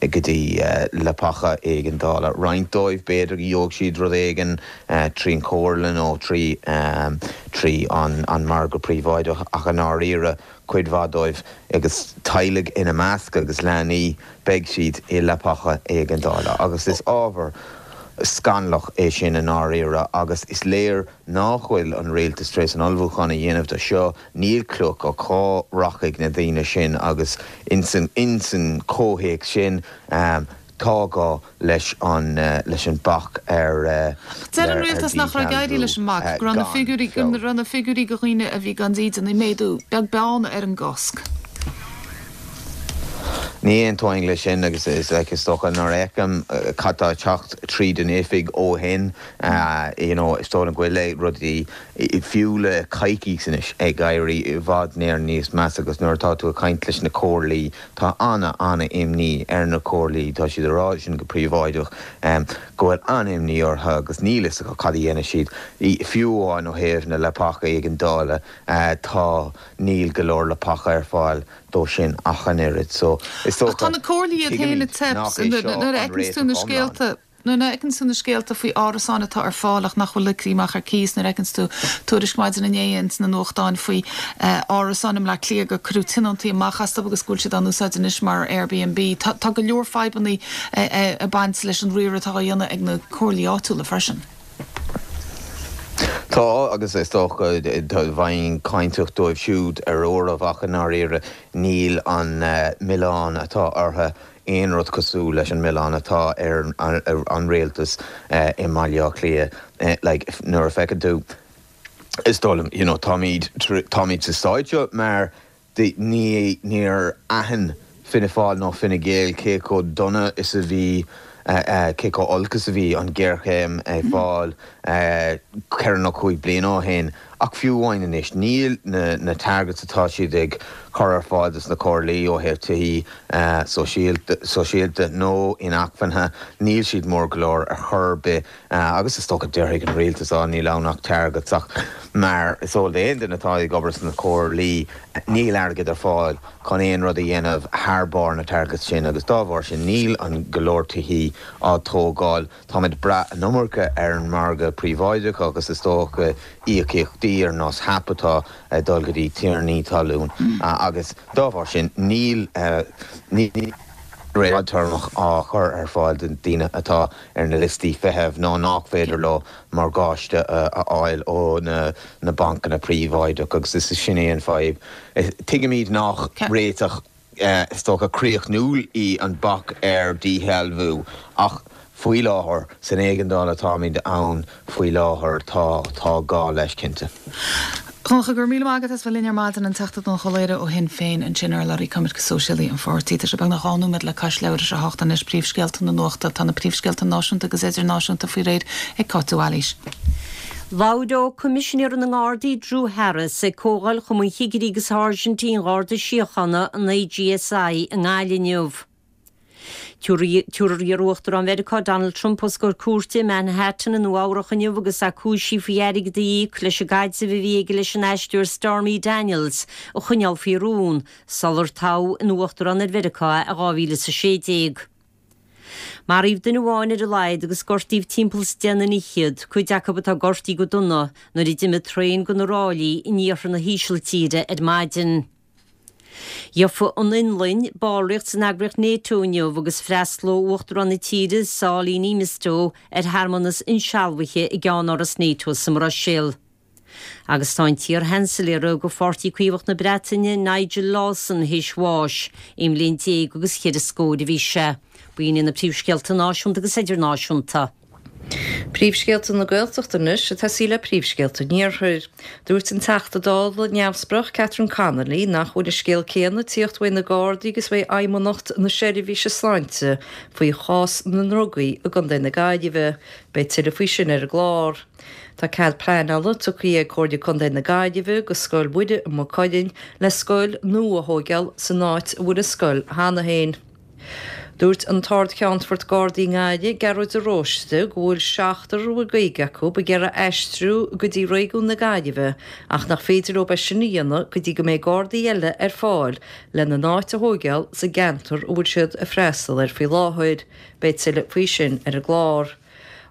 [SPEAKER 8] go dtí leapacha éigeandála. Roinnt dóibh b'fhéidir go gheobhaidh siad rud éigin trí an chomhairle nó trí trí an margadh príobháideach ach i ndáiríre cuid mhaith dóibh, agus teaghlaigh ina measc agus leanaí, beidh siad i leapacha éigeandála agus is ábhar scannalach é sin i ndáiríre agus is léir nach bhfuil an rialtas tar éis an ullmhúchán a dhéanamh do seo, níl clue acu cá rachaidh na daoine sin agus ins an comhthéacs sin. Tá gá leis an leis an bac ar
[SPEAKER 1] Deir an rialtas nach raibh ag éirí leis an mbac, go raibh na figiúirí go raibh na figiúirí de dhaoine a bhí gan dídean ag méadú, beag beann ar an gcosc.
[SPEAKER 8] Ní aontóinn leis sin agus is like is dócha nuair a fheicim cad tá ag teacht tríd an oifig ó shin you know is dóigh liom go bhfuil rudaí fiú le coicís anois ag éirí i bhfad níos measa agus nuair atá tú ag caint leis na comhairlí tá ana ana imní ar na comhairlí tá siad ag rá sin go príobháideach go bhfuil an-imní orthu agus níl fhios acu cad a dhéanfaidh siad fiú amháin ó thaobh na leapacha éigeandála tá níl go leor leapacha ar fáil dó sin ach an oiread. So, is
[SPEAKER 1] dócha, Ach tá na comhairlí iad féin ag
[SPEAKER 8] tuigimid nach é seo
[SPEAKER 1] nuair a
[SPEAKER 8] an
[SPEAKER 1] fheiceanns tú na
[SPEAKER 8] réiteach iomlán.
[SPEAKER 1] scéalta, nuair a fheiceanns tú na scéalta faoi árasáin atá ar fáil ach nach bhfuil ligthe amach ar cíos, nuair a fheiceanns tú tuairisc maidin inné ins na nuachtáin faoi árasáin i mBleá Cliath gur cuireadh tionóntaí amach astu agus go bhfuil siad á n-úsáid anois mar Airbnb. Tá tá go leor fadhbannaí ag baint leis an riar atá á dhéanamh ag na comhairlí áitiúla freisin.
[SPEAKER 8] Tá, agus is dócha, bheinn cáinteach dóibh siúd ar uairibh, ach i ndáiríre níl an milleán atá orthu aon rud cosúil leis an milleán atá ar an rialtas i mBaile Átha Cliath. Like, nuair a fheiceann tú, is dóigh liom, you know, táimid, táimid sa staid seo mar Ní, níor aithin Fianna Fáil nó Fine Gael cé chomh dona is a bhí, cé chomh olc is a bhí an ghéarchéim ag fáil ceithre nó chúig bliana ó shin. Ach fiú amháin anois, níl na targets atá siad ag cur ar fáil dos na comhairlí ó thaobh tithí sóisialta nó inacmhainne, níl siad mór go leor ar chor ar bith. Agus is dócha déarfaidh an rialtas, á, níl ann ach targets, ach mar is eol d'aon duine atá ag obair sna comhairlí, níl airgead ar fáil chun aon rud a dhéanamh thar barr na targets sin agus dá bharr sin níl an go leor tithí á dtógáil. Táimid ag brath an iomarca ar an margadh príobháideach agus is dócha íocaíochtaí ar nós HAP atá ag dul go dtí tiarnaí talún agus dá bharr sin níl, níl réiteach fadtéarmach á chur ar fáil do daoine atá ar na liostaí feithimh nó nach féidir leo morgáiste a fháil ó na bancanna príobháideach agus is sin é an fadhb. Tuigimid nach réiteach is dócha críochnúil í an bac ar dhíshealbhú ach faoi láthair, san éigeandáil atáimid ann faoi láthair, tá tá gá leis cinnte.
[SPEAKER 1] Donncha, go raibh míle maith agat as bheith linn ar maidin, an Teachta Donncha Ó Laoghaire ó Shinn Féin ansin, urlabhraí coimirce sóisialaí an pháirtí. Tá sé beagnach 2 nóiméad le cois leathuair tar éis a hocht anois, príomhscéalta na nuachta. Tá na príomhscéalta náisiúnta agus idirnáisiúnta faoi réir ag Cáit de Bhailís.
[SPEAKER 2] Labhróidh Coimisinéir na nGardaí Drew Harris ag Comhdháil Chumann Chigirí agus Sháirsintí an Gharda Síochána, an AGSI, i nGaillimh inniu. Tabharfar iar-Uachtarán Mheiriceá Donald Trump os comhair cúirte i Manhattan i Nua Eabhrac inniu agus é cúisithe faoi airgead a íoc leis an gcaidreamh a bhí aige leis an aisteoir Stormy Daniels a choinneáil faoi rún sular toghadh ina Uachtarán ar Mheiriceá é i 2016. Maraíodh duine amháin ar a laghad agus gortaíodh timpeall is deich nduine fhichead, cuid acu atá gortaithe go dona, nuair a d'imigh traein de na ráillí in iarthar na hÍsiltíre ar maidin. Gheofaidh an Fhionlainn ballraíocht san eagraíocht Nato inniu agus freastalóidh Uachtarán na tíre, Sauli Niinistö, ar shearmanas insealbhaithe i gceannáras Nato sa mBruiséil. Agus tá an t-iar-Sheansailéara do Pháirtí Caomhach na Breataine, Nigel Lawson, théis bháis. Aon bhliain déag agus cheithre scór a bhí sé. B'in iad na príomhscéalta náisiúnta agus idirnáisiúnta.
[SPEAKER 3] Príomhscéalta na Gaeltachta anois ag tosaí le príomhscéalta an Iarthair. Dúirt an Teachta Dála neamhspleách Catherine Connolly nach bhfuil an scéal céanna ag tíocht uaidh na Gardaí agus uaidh Fheidhmeannacht na Seirbhíse Sláinte faoi chás na ndrugaí i gContae na Gaillimhe. Beidh tuilleadh faoi sin ar an gclár. Tá cead pleanála tugtha ag Comhairle Contae na Gaillimhe do Scoil Mhuire i Maigh Cuilinn le scoil nua a thóigeáil san áit a bhfuil an scoil cheana féin. Dúirt an tArd-Cheannfort Gardaí i nGaillimh, Gearóid de Róiste, go bhfuil seachtar a bhfuil Gaeilge acu ag iarraidh aistriú go dtí réigiún na Gaillimhe ach nach féidir leo é sin a dhéanamh go dtí go mbeidh Gardaí eile ar fáil lena n-áit a thóigeáil sa gceantar a bhfuil siad ag freastal air faoi láthair. Beidh tuilleadh faoi sin ar an gclár.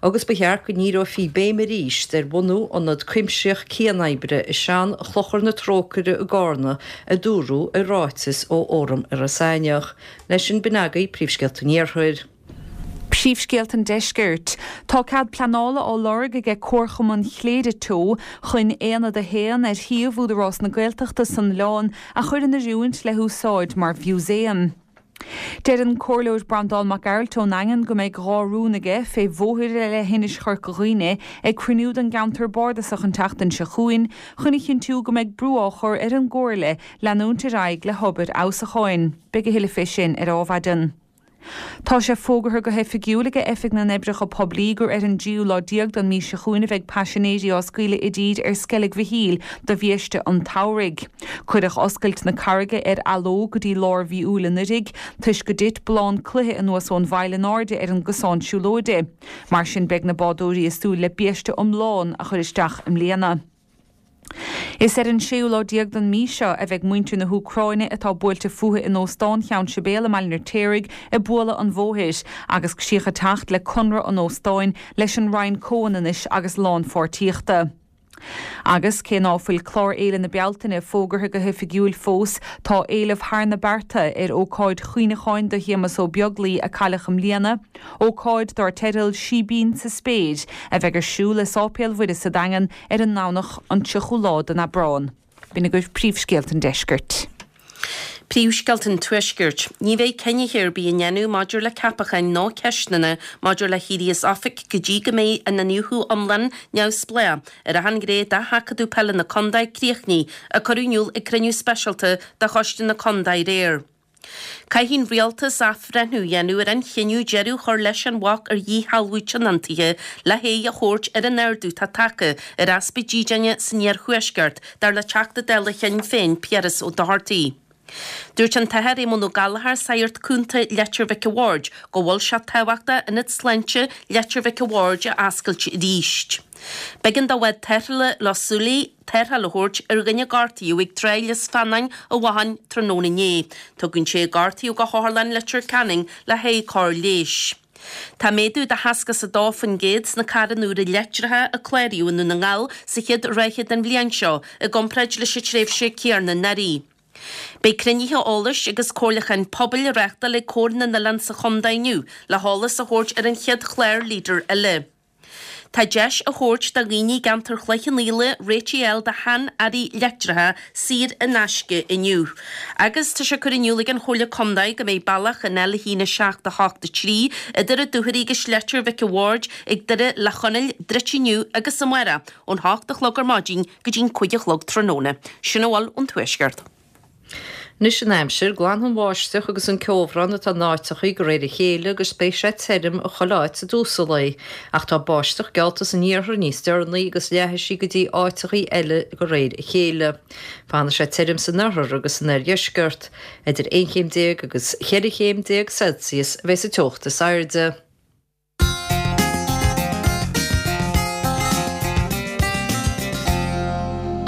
[SPEAKER 3] Agus ba cheart go ndíreofaí béim arís ar bhunú ionad cuimsitheach cianoibre i sean-Chlochar na Trócaire i gCarna, a dúradh i ráiteas ó Fhóram Iorras Aithneach. Leis sin, b'in agaibh Príomhscéalta an Iarthair.
[SPEAKER 4] Príomhscéalta an Deiscirt. Tá cead pleanála á lorg aige Comharchumann Chléire Teo chun Aonad 1 ar shuíomh Údarás na Gaeltachta san oileán a chur in oiriúint le húsáid mar mhúsaem. Deir an Comhairleoir Breandán Mac Gearailt ón nDaingean go mbeidh 2 rún aige fé bhóithre le hInis Chorca Dhuibhne ag cruinniú den gceantar bardasach an tseachtain seo chugainn chun a chinntiú go mbeidh brú á chur ar an gComhairle leanúint ar aghaidh le hobair fheabhsúcháin. Beidh a thuilleadh fé sin ar Adhmhaidin. Tá sé fógartha go hoifigiúil ag Oifig na nOibreacha Poiblí gur ar an dtríú lá déag den mhí seo chugainn a bheidh paisinéirí á scaoileadh i dtír ar Sceilg Mhichíl do bhiaiste an tsamhraidh. Cuireadh oscailt na carraige ar athló go dtí lár mhí Iúil anuiridh toisc go dtit ballán cloiche anuas ón bhfaill in airde ar an gcosán siúlóide. Mar sin beidh na bádóirí ag súil le biaiste iomlán a chur isteach i mbliana. Is ar an séú lá déag den mhí seo a bheidh muintir na hÚcráine atá buailte fúthu in Óstán Cheann Sibéal i mBaile an Fheirtéaraigh ag bualadh an bhóthair agus críoch ag teacht le conradh an óstáin leis an Roinn Comhionannais agus Lánpháirtíochta. Agus cé ná fuil clár Fhéile na Bealtaine fógartha go hoifigiúil fós, tá éileamh thar na bearta ar ócáid chuimhneacháin do Shéamus Ó Beaglaoi a cailleadh i mbliana, ócáid dár teideal Síbín sa Spéir, a bheidh ar siúl i Sáipéal Mhuire sa Daingean ar an nDomhnach an 30ú lá den Aibreán. B'in agaibh príomhscéalta an deiscirt.
[SPEAKER 5] Príomhscéalta an Tuaiscirt. Ní bheidh cinneadh ar bith á ndéanamh maidir le ceapacháin ná ceisteanna maidir le héirí as oifig go dtí go mbeidh an iniúchadh iomlán neamhspleách ar achan ghné de sheachadadh peile na contae críochnaithe, a cuireadh in iúl ag cruinniú speisialta de Choiste na Contae aréir. Caithfidh an Rialtas athbhreithniú a dhéanamh ar an chinneadh deireadh a chur leis an bhac ar dhíshealbhú tionóntaithe le haghaidh a thabhairt ar an ardú atá tagtha ar easpa dídine san iarthuaisceart, dar le Teachta Dála Shinn Féin Piaras Ó Dochartaigh. Dúirt an tAthair Éamonn Ó Gallchóir, Sagart Cúnta Leitir Mhic a' Bhaird, go bhfuil sé tábhachtach Ionad Sláinte Leitir Mhic a' Bhaird a oscailt arís. B'éigean do bhád tarrthála Loch Súilí tarrtháil a thabhairt ar dhuine a gortaíodh ag Tráigh Lios Feannáin i bhFathain tráthnóna inné. Tugadh an té a gortaíodh go hOtharlann Leitir Ceanainn le haghaidh cóir leighis. Tá méadú de 62% sna carranna úra leictreacha a cláraíodh i nDún na nGall sa chéad ráithe den bhliain seo i gcomparáid leis an tréimhse céanna anuraidh. Beidh cruinnithe eolais agus comhairliúcháin pobail á reáchtáil ag Comhar na nOileán sa chontae inniu le heolas a thabhairt ar an chéad chlár Leader eile. Tá deis á thabhairt do dhaoine i gceantar Chloich Cheann Fhaola réitigh a fháil do shean-earraí leictreacha saor in aisce inniu. Agus tá sé curtha in iúl ag an Chomhairle Contae go mbeidh bealach an L1 7 8 3 idir an Dúchoraidh agus Leitir Mhic a' Bhaird ag Doire Leac Chonaill druidte inniu agus amárach ón 8 a chlog ar maidin go dtí'n 5 a chlog tráthnóna. Sin a bhfuil ón Tuaisceart.
[SPEAKER 3] Anois an aimsir, glanfaidh an bháisteach agus an ceobhrán atá in áiteachaí de réir a chéile agus beidh sé tirim i chuile áit i dtús an lae. Ach tá báisteach geallta san iarthar níos deireanaí agus leathfaidh sí go dtí áiteachaí eile de réir a chéile. Fanfaidh sé tirim san oirthear agus san oirdheisceart. Idir 11 chéim agus 14 chéim Celsius a bheidh sa teocht is airde.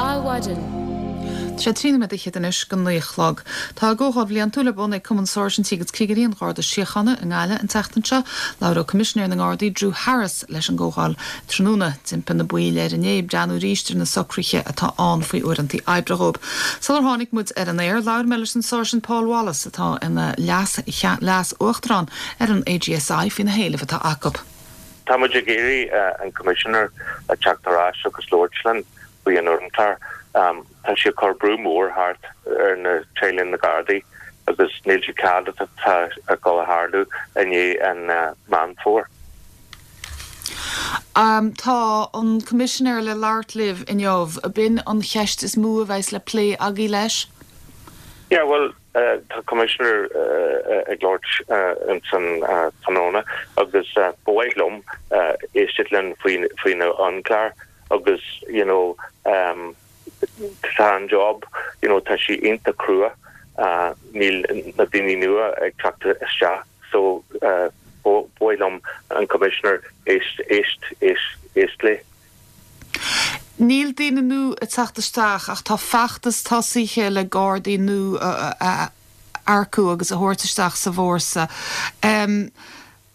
[SPEAKER 1] Adhmhaidin. Tá sé 13 nóiméad fhichead anois go 9 a chlog. Tá a gcomhdháil bhliantúil ar bun ag Cumann Sáirsintí agus Cigirí an Gharda Síochána i nGaillimh an tseachtain seo. Labhróidh Coimisinéir na nGardaí Drew Harris leis an gcomhdháil tráthnóna. D'impigh na baill air inné breathnú arís ar na socruithe atá ann faoi uaireanta oibre dhóibh. Sular tháinig muid ar an aer, labhair mé leis an Sáirsint Paul Wallace atá ina leas-uachtarán ar an AGSI faoi na héilimh atá acu.
[SPEAKER 9] Tá muid ag iarraidh an Coimisinéir a teacht ar ais agus labhairt linn faoi an uaireanta. Tá sé ag cur brú mór thart ar na teaghlaigh na Gardaí agus níl sé cead atá ag dul a tharlú i ndiaidh an Meán Fómhair.
[SPEAKER 1] Tá an Coimisinéir le labhairt libh inniu. B'in an cheist is mó a bheas le plé agaibh leis?
[SPEAKER 9] Yeah, bhuel, Tá Coimisinéir ag labhairt ins an tráthnóna agus ba mhaith liom éisteacht linn faoi na amchlár agus you know tá an job you know tá sí iontach crua níl na daoine nua ag teacht isteach so ba mhaith liom an Coimisinéir éist éist éist éist léi.
[SPEAKER 1] Níl daoine nua ag teacht isteach ach tá feachtas tosaithe le Gardaí nua a earcú agus a thabhairt isteach sa bhfórsa.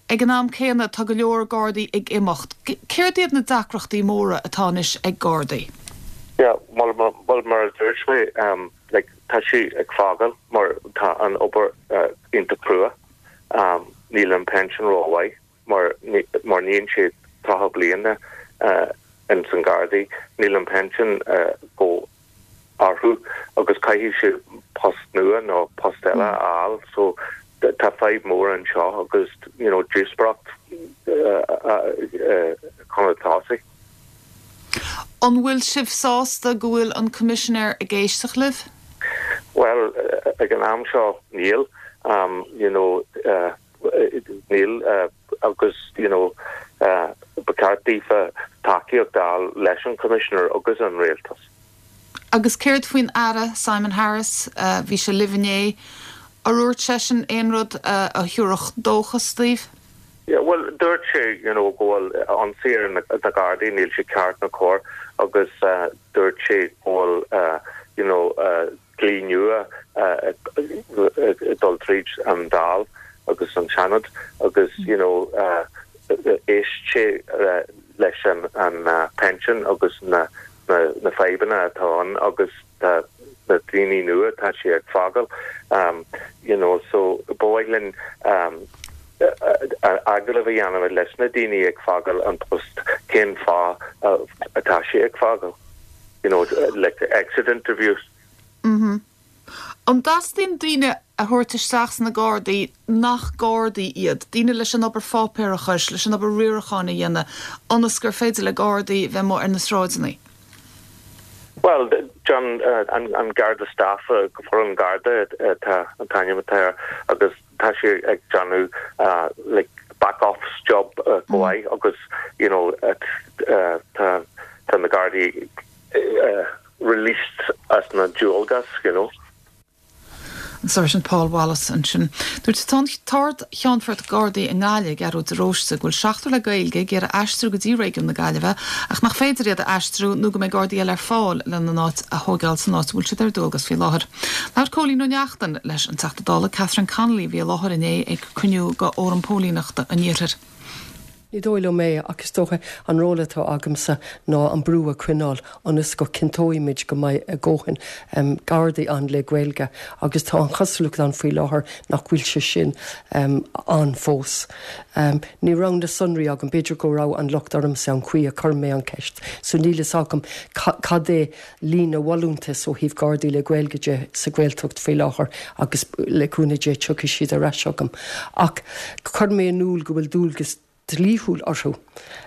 [SPEAKER 1] Ag an am céanna tá go leor Gardaí ag imeacht. Céard iad na deacrachtaí móra atá anois ag Gardaí?
[SPEAKER 9] Yeah, bhuel mar a dúirt mé, like tá sí ag fágáil mar tá an obair iontach crua. Níl an pension rómhaith. mar mar níonn siad 30 bliana ins an Gardaí, níl an pension go orthu agus caithfidh siad post nua nó post eile a fháil so. Tá fadhb mór anseo agus you know díospóireacht chun tosaigh.
[SPEAKER 1] An bhfuil sibh sásta go bhfuil an Coimisinéir ag éisteacht libh?
[SPEAKER 9] Bhuel, ag an am seo níl, you know níl agus you know ba cheart daofa tacaíocht a fháil leis an Choimisinéir agus an Rialtas.
[SPEAKER 1] Agus céard faoin Aire Simon Harris, bhí sé libh inné, ar dhúirt seisean aon rud a thabharfadh dóchas daoibh?
[SPEAKER 9] Yeah, bhuel, dúirt sé, you know, go bhfuil ionsaí ar na Gardaí, níl sé ceart ná cóir agus dúirt sé go bhfuil, you know, dlí nua ag dul tríd an Dáil agus an Seanad agus, you know, éist sé leis an pension agus na na fadhbanna atá ann agus tá na daoine nua tá sé ag fágáil you know so ba mhaith linn agallamh a dhéanamh leis na daoine ag fágáil an post cén fáth atá sé ag fágáil you know like exit interviews.
[SPEAKER 1] Mm-hmm. An dteastaíonn daoine a thabhairt isteach sna Gardaí nach Gardaí iad, daoine leis an obair pháipéarachais, leis an obair riaracháin a dhéanamh, ionas gur féidir le Gardaí bheith amuigh ar na sráideanna?
[SPEAKER 9] Bhuel, John, an Garda Staff, foireann Garda atá an t-ainm atá air agus tá sé ag déanamh like back office job go maith agus you know tá na Gardaí released as na dualgas, you know.
[SPEAKER 1] An Sáirsint Paul Wallace ansin. Dúirt an tArd-Cheannfort Gardaí i nGaillimh, Gearóid de Róiste, go bhfuil seachtar le Gaeilge ag iarraidh aistriú go dtí réigiún na Gaillimhe ach nach féidir iad a aistriú nó go mbeidh Gardaí eile ar fáil lena n-áit a thóigeáil san áit a bhfuil siad ar dualgas faoi láthair. Labhair Cóilín Ó Neachtain leis an Teachta Dála Catherine Connolly a bhí i láthair inné ag cruinniú de Fhóram Póilíneachta an Iarthair.
[SPEAKER 10] Ní dóigh liom é, ach is dócha an ról atá agamsa ná an brú a choinneáil ionas go cinnteoimid go mbeidh a dhóthain Gardaí ann le Gaeilge agus tá an chosúlacht ann faoi láthair nach bhfuil sé sin ann fós. Ní raibh na sonraí agam, b'fhéidir go raibh an locht ormsa an chaoi a chuir mé an cheist so níl fhios agam cad é líon na bhfolúntas ó thaobh Gardaí le Gaeilge de sa Ghaeltacht faoi láthair agus le cúnamh Dé tiocfaidh siad ar ais chugam. Ach chuir mé in iúl go bhfuil dualgas dlíthiúil orthu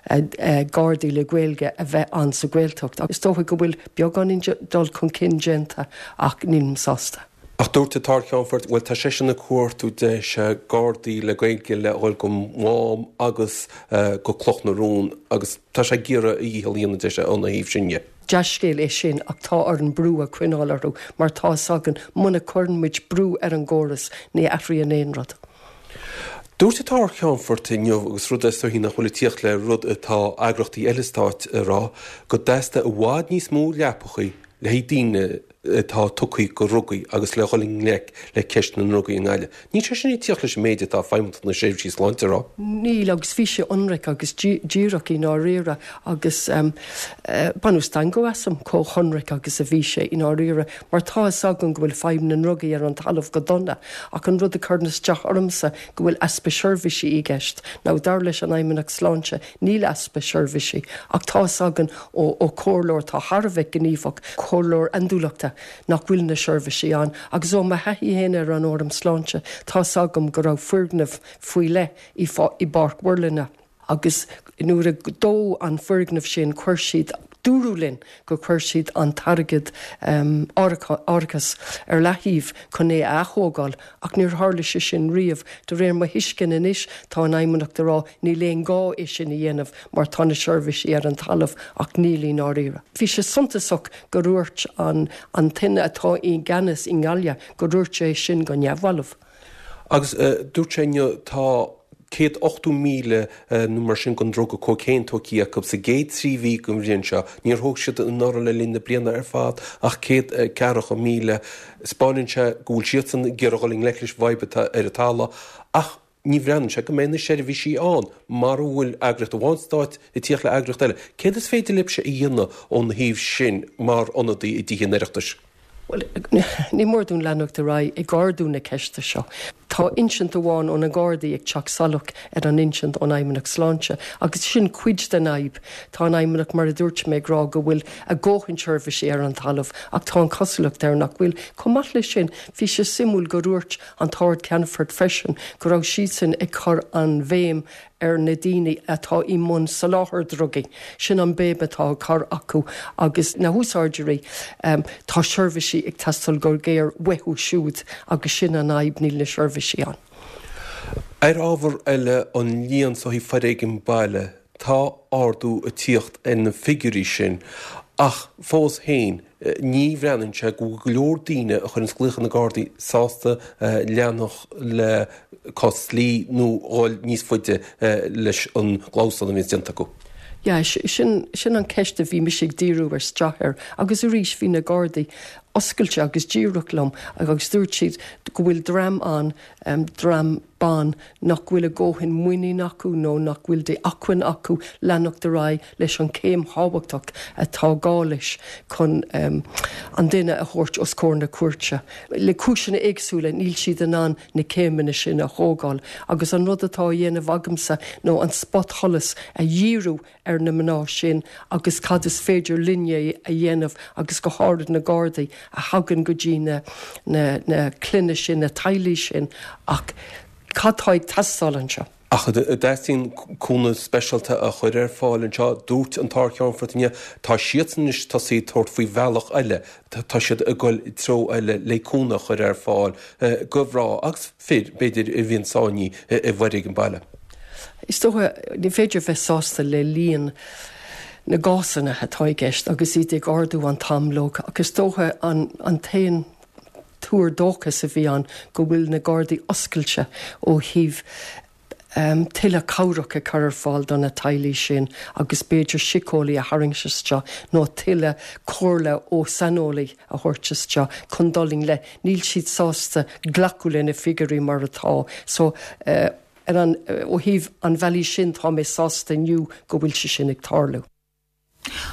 [SPEAKER 10] Gardaí le Gaeilge a bheith ann sa Ghaeltacht. Is dócha go bhfuil beagáinín dul chun cinn déanta ach nílim sásta.
[SPEAKER 11] Ach dúirt an tArd-Cheannfort, bhuel tá seisean ag cuartú deis Gardaí le Gaeilge le dhul go Mám agus go Cloch na Rún agus tá sé ag iarraidh a dhícheall a dhéanamh deis óna thaobh sin dhe.
[SPEAKER 10] Dea-scéal é sin ach tá orainn brú a choinneáil orthu mar tá fhios againn muna cuireann muid brú ar an gcóras ní athraíonn aon rud.
[SPEAKER 11] Dúirt an tArd-Cheannfort inniu, agus rud is dóichí nach bhfuil ag tíocht le rud atá eagraíochtaí eile stáit a rá, go dteastaigh i bhfad níos mó leapachaí le haghaidh daoine atá tugtha do dhrugaí agus le dhul i ngleic le ceist na ndrugaí i nGaillimh. Níl sé sin ag tíocht leis an méid atá Feidhmeannacht na Seirbhísí Sláinte a rá.
[SPEAKER 10] Níl, agus bhí sé ionraic agus díreach i ndáiríre agus baineadh stangadh asam chomh hionraic agus a bhí sé i ndáiríre mar tá fhios againn go bhfuil fadhb na ndrugaí ar an talamh go dona ach an rud a chuireann isteach ormsa go bhfuil easpa seirbhísí i gceist. Now dar leis an Fheidhmeannacht Sláinte níl easpa seirbhísí ach tá fhios againn ó chomhairleoir atá thar a bheith gníomhach, comhairleoir andúileachta, nach bhfuil na seirbhísí ann agus ó mo thaithí féin ar an Fhóram Sláinte tá 's agam go raibh foirgneamh faoi leith i bPáirc Mhuirlinne agus nuair a dódh an foirgneamh sin chuir siad, dúradh linn gur chuir siad an t-airgead árachais ar leathaobh chun é a athógáil ach níor tharla sé sin riamh. De réir mo thuisceana anois tá an Fheidhmeannacht ag rá níl aon gá é sin a dhéanamh mar tá na seirbhísí ar an talamh ach níl i ndáiríre. Bhí sé suntasach go ndúirt an an duine atá i gceannas i nGaillimh go ndúirt sé sin go neamhbhalbh.
[SPEAKER 11] Agus dúirt sé inniu tá 180,000 nó mar sin den druga cócaon tógtha acu sa gcéad 3 mhí den bhliain seo. Níor thóg siad anuraidh le linn na bliana ar fad ach 140,000. Spáineann sé go bhfuil siadsan ag iarraidh dhul i ngleic leis an bhfadhb atá ar an talamh ach ní bhreathnaíonn sé go mbeidh na seirbhísí ann mara bhfuil eagraíocht amháin stáit ag tíocht le eagraíocht eile. Céard is féidir libhse a dhéanamh óna thaobh sin mar ionadaí i dTithe an Oireachtais?
[SPEAKER 10] Bhuel, ní mór dúinn leanacht ar aghaidh ag ardú na ceiste seo. Tá insint amháin ó na Gardaí ag teacht salach ar an insint ón Fheidhmeannacht Sláinte agus sin cuid den fhadhb. Tá an Fheidhmeannacht, mar a dúirt mé, ag rá go bhfuil a dhóthain seirbhísí ar an talamh ach tá an chosúlacht air nach bhfuil. Chomh maith leis sin, bhí sé suimiúil go ndúirt an tArd-Cheannfort freisin go raibh siadsan ag cur an bhéim ar na daoine atá i mbun soláthar drugaí. Sin an béim atá á cur acu agus na húsáideoirí. Tá seirbhísí ag teastáil go géar uathu siúd agus sin an fhadhb, níl na seirbhísí ann.
[SPEAKER 11] Ar ábhar eile, an líon so ó thaobh foréigean baile, tá ardú ag tíocht ar na figiúirí sin ach fós féin ní bhreathnaíonn sé go bhfuil go leor daoine a chuireanns glaoch ar na Gardaí sásta leanacht le cás dlí nó dhul níos faide leis an gclamhsán a bhíonns déanta acu.
[SPEAKER 10] Yeah, sin, sin an ceist a bhí mise ag díriú isteach air agus arís bhí na Gardaí oscailte agus díreach liom agus dúirt siad go bhfuil dream ann, dream ban nach bhfuil a dhóthain muinín acu nó nach bhfuil d'acmhainn acu leanacht ar aghaidh leis an chéim thábhachtach atá gá leis chun an duine a thabhairt os comhair na cúirte. Le cúiseanna éagsúla níl siad in ann na céimeanna sin a thógáil agus an rud atá á dhéanamh agamsa nó an spotsholas a dhíriú ar na mná sin agus cad is féidir linne a dhéanamh agus go háirid na Gardaí a thagann go dtí na na clainne sin, na teaghlaigh sin ach cad tá ag teastáil anseo?
[SPEAKER 11] Ach an dteastaíonn cúnamh speisialta a chur ar fáil anseo? Dúirt an tArd-Cheannfort inniu, tá siadsan anois tosaithe ag tabhairt faoi bhealach eile, tá siad ag dul i dtreo eile le cúnamh a chur ar fáil go mhná agus fir, b'fhéidir, a bhíonn sáinnithe i bhforéigean baile.
[SPEAKER 10] Is dócha, ní féidir bheith sásta le líon na gcásanna atá i gceist agus iad ag ardú an t-am leo ach is dócha an t-aon tuar dóchais a bhí ann go bhfuil na Gardaí oscailte ó thaobh tuilleadh cabhrach a chur ar fáil do na teaghlaigh sin agus b'fhéidir síceolaí a tharraingt isteach nó tuilleadh comhairle ó saineolaí a thabhairt isteach chun dul i ngleic. Níl siad sásta glacadh le na figiúirí mar atá so ar an ó thaobh an bhealaigh sin tá mé sásta inniu go bhfuil sé sin ag tarlú.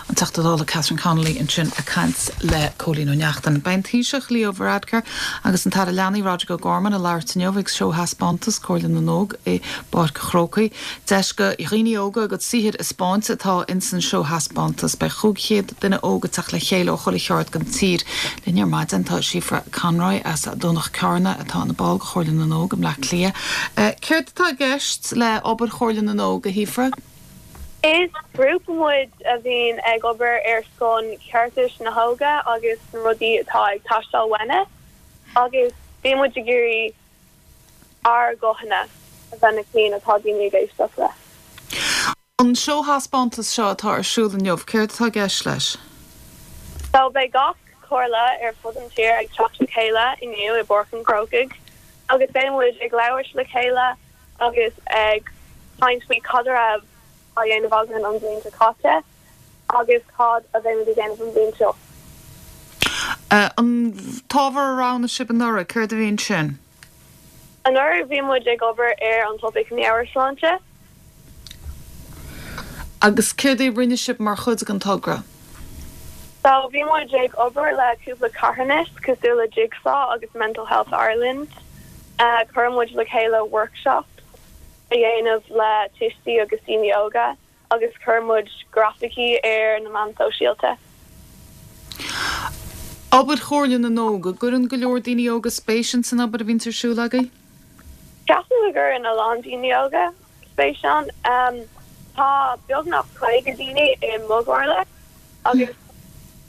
[SPEAKER 1] An Teachta Dála Catherine Connolly ansin ag caint le Cóilín Ó Neachtain. Beidh an Taoiseach Leo Varadkar agus an tAire Leanaí Roderic O'Gorman ag labhairt inniu ag seóthaispeántas Comhairle na nÓg i bPáirc an Chrócaigh. Deis go dhaoine óga a gcuid saothair a 'spáint atá ins an seóthaispeántas. Beidh 500 duine óg ag teacht le chéile ó chuile cheard den tír. Linn ar maidin tá Síofra Conroy as Domhnach Cearna atá ina ball de Chomhairle na nÓg i mBleá Cliath. Céard atá i gceist le obair Chomhairle na nÓg, a Shíofra?
[SPEAKER 12] Is grúpa muid a bhíonn ag obair ar son ceartais na hóige agus na rudaí atá ag teastáil uainne agus bíonn muid ag iarraidh ár guthanna a bheith na cinn atá daoine ag éisteacht le.
[SPEAKER 1] An seóthaispeántas seo atá ar siúl inniu, céard atá i gceist leis?
[SPEAKER 12] So beidh gach comhairle ar fud an tír ag teacht le chéile inniu i bPáirc an Chrócaigh agus beidh muid ag labhairt le chéile agus ag caint faoi cad a raibh á dhéanamh againn an bhliain seo caite agus cad a bheimid ag déanamh an bhliain seo.
[SPEAKER 1] An t-ábhar a roghnaigh sibh anuraidh, céard a bhí ansin?
[SPEAKER 12] Anuraidh bhí muid ag obair ar an topaic meabhairshláinte.
[SPEAKER 1] Agus céard é a rinne sibh mar chuid den togra?
[SPEAKER 12] So bhí muid ag obair le cúpla carthanas cosúil le Jigsaw agus Mental Health Ireland. Chuir muid le chéile workshop a dhéanamh le tuistí agus daoine óga agus chuir muid grafaicí ar na meáin sóisialta.
[SPEAKER 1] Obair Chomhairle na nÓg, an gcuireann go leor daoine óga spéis ins an obair a bhíonns ar siúl agaibh?
[SPEAKER 12] Ceapaim go gcuireann a lán daoine óga spéis ann. Tá beagnach 50 daoine i mo chomhairle agus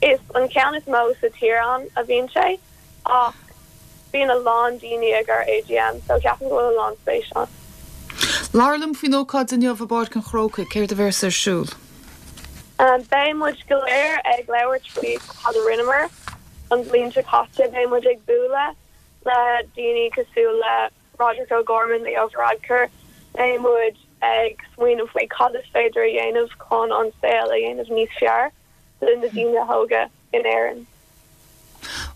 [SPEAKER 12] is an ceann is mó sa tír ann a bhíonn sé ach bíonn a lán daoine ag ár AGM so ceapaim go bhfuil a lán spéis ann.
[SPEAKER 1] Labhair liom faoin ócáid inniu i bPáirc an Chrócaigh, céard a bhéas ar siúl?
[SPEAKER 12] Beidh muid go léir ag labhairt faoi cad a rinneamar an bhliain seo caite. Beidh muid ag bualadh le daoine cosúil le Roderic O'Gorman, Leo Varadkar, beidh muid ag smaoineamh faoi cad is féidir a dhéanamh chun an saol a dhéanamh níos fearr do na daoine óga in Éirinn.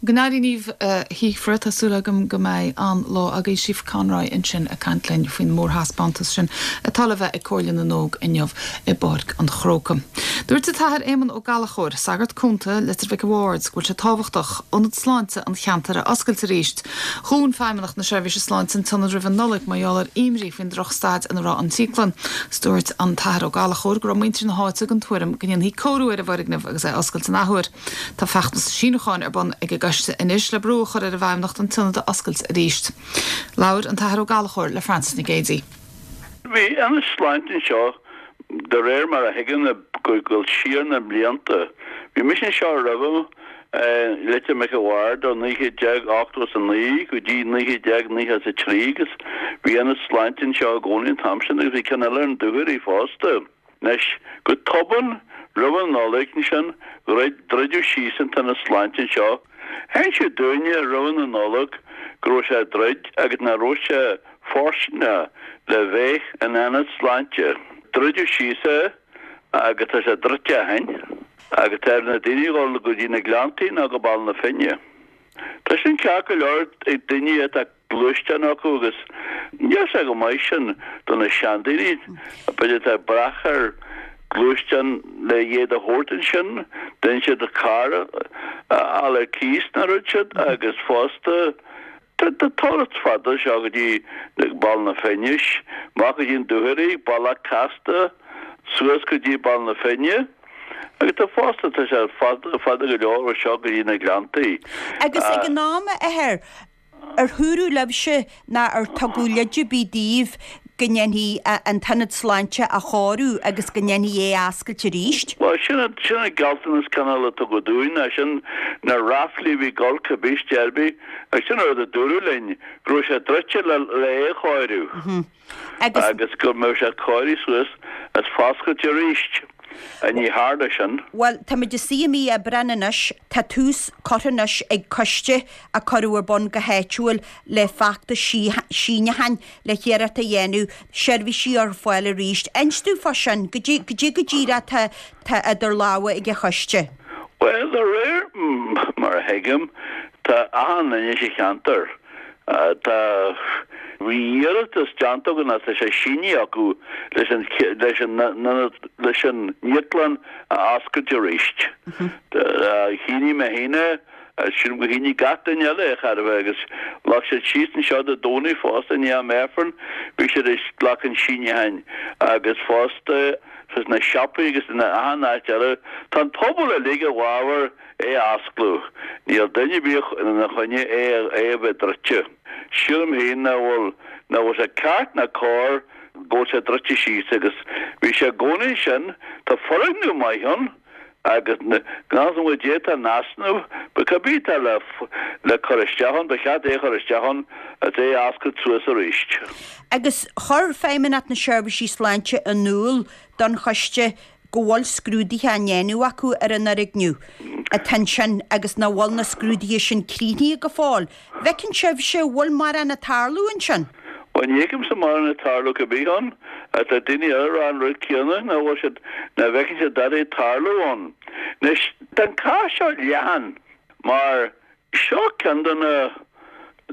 [SPEAKER 1] Go n-éirí libh, a Shíofra. Tá súil agam go mbeidh an-lá agaibh. Síofra Conroy ansin ag caint linn faoin mórthaispeántas sin atá le bheith ag Comhairle na nÓg inniu i bPáirc an Chrócaigh. Dúirt an tAthair Éamonn Ó Gallchóir, sagart cúnta, Leitir Mhic a' Bhaird, go bhfuil sé tábhachtach ionad sláinte an cheantair a oscailt arís. Dhún Feidhmeannacht na Seirbhíse Sláinte an t-ionad roimh an Nollaig mar gheall ar imní faoin drochstaid ina raibh an t-íoclann. Dúirt an tAthair Ó Gallchóir go raibh muintir na háite den tuairim go ndéanfaí cóiriú ar an bhfoirgneamh agus é a oscailt an athuair. Tá feachtas síniúcháin ar bun ag an gcoiste anois le brú a chur ar an bhFeidhmeannacht an t-ionad a oscailt arís. Labhair an tAthair Ó Gallchóir le Frances Nic Géadaigh.
[SPEAKER 13] Bhí ionad sláinte anseo de réir mar a thuigim ag dul siar na blianta. Bhí mise anseo roimhe i Leitir Mhic a' Bhaird ó 1989 go dtí 1993 agus bhí ionad sláinte anseo i gcónaí an t-am sin agus bhí ceann eile ar an Dúchoraidh fosta. Anois, go tobann, roimh an Nollaig ansin, dhruid, druideadh síos an t-ionad sláinte anseo. Inseadh dúinne roimh na Nollag go raibh sé ag druid agus nach raibh sé fóirsteanach le bheith ina ionad sláinte. Druideadh síos é agus tá sé druidte ó shin agus tá ar na daoine dhul go dtí na Gleanntaí nó go Baile na Finne. Tá sin ceart go leor ag daoine atá gluaisteán acu agus níl sé go maith sin do na seandaoine, b'fhéidir atá ag brath ar gluaisteán le iad a thabhairt ansin, déanann siad carr a fháil ar cíos nó rud siad agus fosta tá turas fada seo go dtí Baile na Finne, amach go dtí an Dúchoraidh, bealach casta suas go dtí Baile na Finne agus tá fosta tá sé fada fada go leor ó seo go dtí na Gleanntaí.
[SPEAKER 14] Agus ag an am, a Athair, Ar dúradh libhse ná ar tugadh leid ar bith daoibh go ndéanfaí an t-ionad sláinte a chóiriú agus go ndéanfaí é a oscailt arís?
[SPEAKER 13] Bhuel, sin an, sin an gealltanas cineál a tugadh dúinn, ná sin na ráflaí a bhí ag dul cibé ar bith, agus sin an rud a dúradh linn, go raibh sé druidte le, le é a chóiriú. Agus go mbeadh sé cóirithe suas is foscailte arís. Ní tharla sin.
[SPEAKER 14] Bhuel, táimid ag suí i mí Aibreáin anois, tá tús curtha anois ag coiste a cuireadh ar bun go háitiúil le feachtas síniúcháin le hiarracht a dhéanamh seirbhísí a chur ar fáil arís. Inis dúinn fá sin, goidé go díreach tá idir lámha ag an choiste?
[SPEAKER 13] Bhuel, de réir mar a thuigim, tá achan duine sa cheantar, Tá bhí iarratas déanta againn agus tá sé sínithe acu leis an leis an ionad leis an íoclann a oscailt arís. Shínigh mé féin é agus sílim gur shínigh gach duine eile é chóir a bheith agus ghlac siad síos anseo Dé Domhnaigh fosta i ndiaidh am Aifreann bhí siad ag glacadh síniúcháin agus fosta sna siopaí agus in achan áit eile. Tá an pobal uilig i bhfabhar é a osclú. Níl duine ar bith ina choinne é é a bheith druidte. Sílim féin nach bhfuil nach bhfuil sé ceart ná cóir go bhfuil sé druidte síos agus bhí sé i gcónaí ansin. Tá foirgneamh maith ann agus gan fhios agam goidé atá in easnamh but cibé atá le le cur isteach ann ba cheart é a chur isteach ann agus é a oscailt suas arís.
[SPEAKER 14] Agus chuir Feidhmeannacht na Seirbhísí Sláinte in iúl don choiste go bhfuil scrúduithe á ndéanamh acu ar an fhoirgneamh atá ansin agus nach bhfuil na scrúduithe sin críochnaithe go fóill. Bhfeiceann sibhse an bhfuil mórán ag tarlú ansin?
[SPEAKER 13] Bhuel, ní fheicimse mórán ag tarlú cibé ann. Tá daoine eile ag rá an rud céanna, nach bhfuil siad, nach bhfeiceann siad dadaí ag tarlú ann. Anois, tá an cás seo leathan mar seo ceann de na,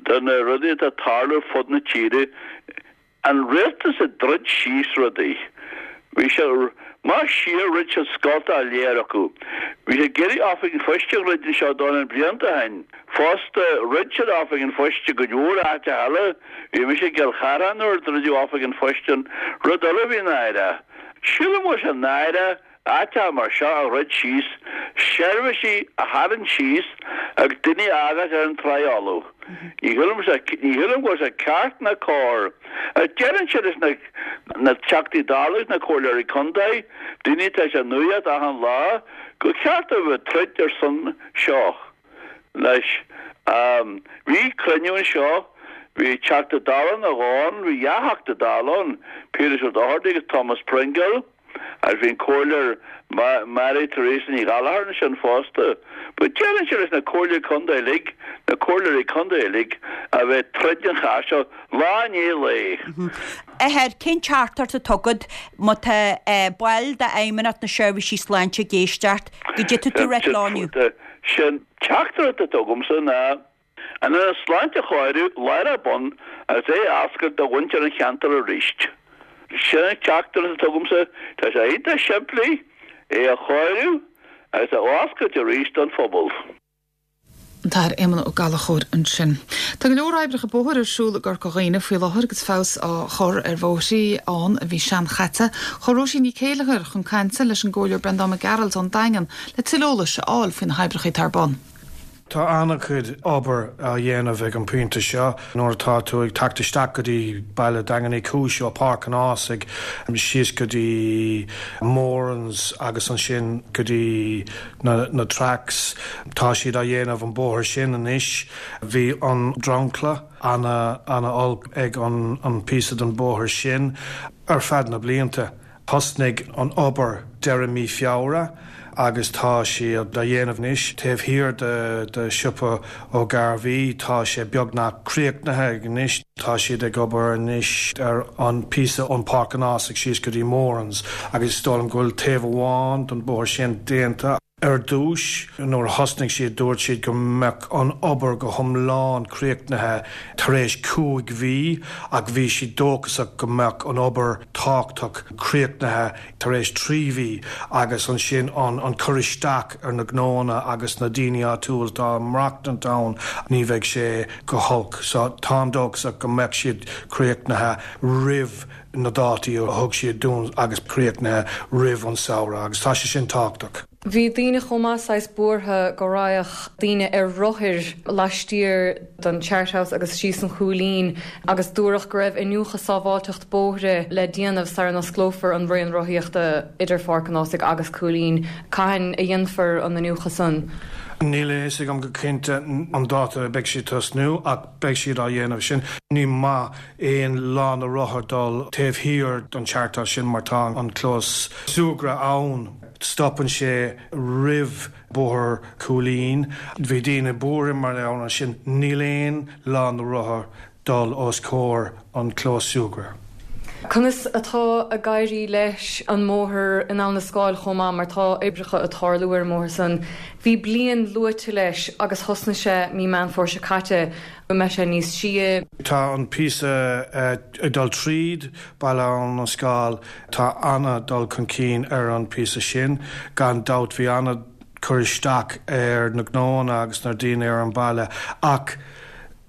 [SPEAKER 13] de na rudaí atá ag tarlú ar fud na tíre. An rialtas ag druid síos rudaí. Bhí sé, más siar dhruid siad scolta á léir acu. Bhí siad ag iarraidh oifig an phoist a dhruid anseo dornán blianta ó shin. Fosta, dhruid siad oifig an phoist i gcuid mhór áiteacha eile. Bhí mise i gCill Chartha nuair a druideadh oifig an phoist ann. Rud eile a bhí náireach. Sílim go bhfuil sé náireach Áiteacha mar seo a dhruid síos, seirbhísí a tharraingt síos agus daoine a fhágáilt ar an tráigh fholamh. Ní shílim ní shílim go bhfuil sé ceart ná cóir. Agus deirimse leis na na Teachtaí Dála agus na Comhairleoirí Contae, daoine atá sa nuacht achan lá, gur cheart dóibh a bheith ag troid ar son seo. Anois, bhí cruinniú anseo, bhí Teachta Dála nó dhó ann, bhí dhá Theachta Dála ann, Piaras Ó Dochartaigh agus Thomas Pringle. Agus bhí an Comhairleoir Mary Theresa Ní Ghallchóir ansin fosta. But deirimse leis na Comhairleoirí Contae uilig, na Comhairleoirí Contae uilig, a bheith ag troid an chás seo lá i ndiaidh lae.
[SPEAKER 14] Athair, cén teachtaireacht atá agat má tá baill d'Fheidhmeannacht na Seirbhísí Sláinte ag éisteacht, goidé atá tú ag ráit leo inniu?
[SPEAKER 13] Sé'n teachtaireacht atá agamsa ná an Ionad Sláinte a chóiriú láithreach bonn agus é a oscailt do mhuintir an cheantair arís. Sin an teachtaireacht atá agamsa, tá sé iontach simplí, é a chóiriú agus a oscailt arís don phobal.
[SPEAKER 1] An tAthair Éamonn Ó Gallchóir ansin. Tá go leor oibreacha bóthair ar siúl i gCorca Dhuibhne faoi láthair agus feabhas á chur ar bhóithrí ann a bhí seanchaite. Chuaigh Róisín Ní Chéilleachair chun cainte leis an gComhairleoir Breandán Mac Gearailt ón Daingean le tuilleadh eolais a fháil faoi na hoibreacha atá ar bun.
[SPEAKER 15] Tá an-chuid obair á dhéanamh ag an bpointe seo. Nuair atá tú ag teacht isteach go dtí baile Daingean Uí Chúis ó Páirc an Ághasaigh síos go dtí Moran's agus ansin go dtí na tracks, tá siad á dhéanamh an bóthar sin anois. Bhí an dromchla ana-ana-olc ag an píosa den bóthar sin ar feadh na blianta. Thosnaigh an obair deireadh mí Feabhra agus tá siad á dhéanamh anois. Taobh thiar de siopa Ó Gairbhí tá sé beagnach críochnaithe anois. Tá siad ag obair anois ar an píosa ón Páirc an Ághasaigh síos go dtí Moran's agus is dóigh liom go bhfuil taobh amháin den bóthar sin déanta. Ar dtús, nuair a thosnaigh siad, dúirt siad go mbeadh an obair go hiomlán críochnaithe tar éis 5 mhí ach bhí siad dóchasach go mbeadh an obair tábhachtach críochnaithe tar éis 3 mhí agus ansin an cur isteach ar na gnóanna agus na daoine áitiúil atá ag maireachtaint ann, ní bheidh sé go holc. So táim dóchasach go mbeadh siad críochnaithe roimh na dátaí a thug siad dúinn agus críochnaithe roimh an samhradh agus tá sé sin tábhachtach.
[SPEAKER 16] Bhí daoine chomh maith saghas buartha go raghadh daoine ar rothair laistiar den Charthouse agus síos an Chúilín agus dúradh go raibh iniúchadh sábháilteacht bóithre le déanamh sara n-osclófar an raon rothaíochta idir Pháirc an Ághasaigh agus Cúilín. Cathain a dhéanfar an iniúchadh san?
[SPEAKER 15] Níl a fhios agam go cinnte an dáta a beidh siad tosnú ach beidh siad á dhéanamh sin. Ní maith aon lána rothar dul taobh thiar den Charthouse sin mar tá an clós súgartha ann. Stopann sé roimh Bóthar Chúilín. Bhí daoine buartha mar gheall air sin. Níl aon lána rothar dul os comhair an clós súgartha.
[SPEAKER 16] Conas atá ag éirí leis an mbóthar in Abhainn an Scáil chomh maith mar tá oibreacha ag tarlú ar an mbóthar san. Bhí bliain luaite leis agus thosnaigh sé mí Meán Fómhair seo caite. An mbeidh sé níos sia?
[SPEAKER 15] Tá an píosa ag dul tríd Baile Abhainn an Scáil, tá ana-dul chun cinn ar an píosa sin. Gan dabht bhí ana-chur isteach ar na gnóanna agus na daoine ar an baile ach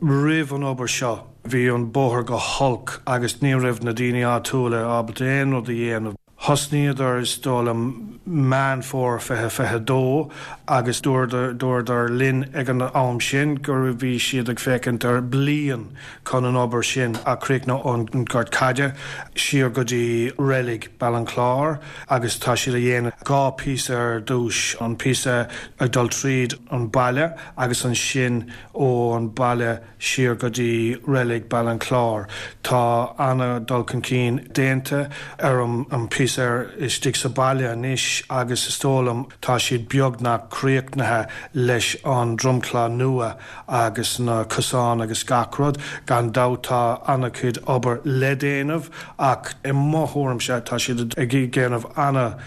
[SPEAKER 15] roimh an obair seo bhí an bóthar go holc agus ní raibh na daoine áitiúla ábalta aon rud a dhéanamh. Thosnaíodar, is dóigh liom, Meán Fómhair 2022 agus dúradar linn ag an am sin go bhí siad ag féachaint ar bliain chun an obair sin a chríochnú ón Gort Caide siar go dtí reilig Baile an Chláir agus tá siad a dhéanamh 2 píosa ar dtús, an píosa ag dul tríd an baile agus ansin ón baile siar go dtí reilig Baile an Chláir. Tá ana-dhul chun cinn déanta ar an phíosa ar istigh sa baile anois agus is dóigh liom tá siad beagnach críochnaithe leis an dromchla nua agus na cosáin agus gach rud. Gan dabht tá ana-chuid obair le déanamh ach i mo thuairimse tá siad ag déanamh ana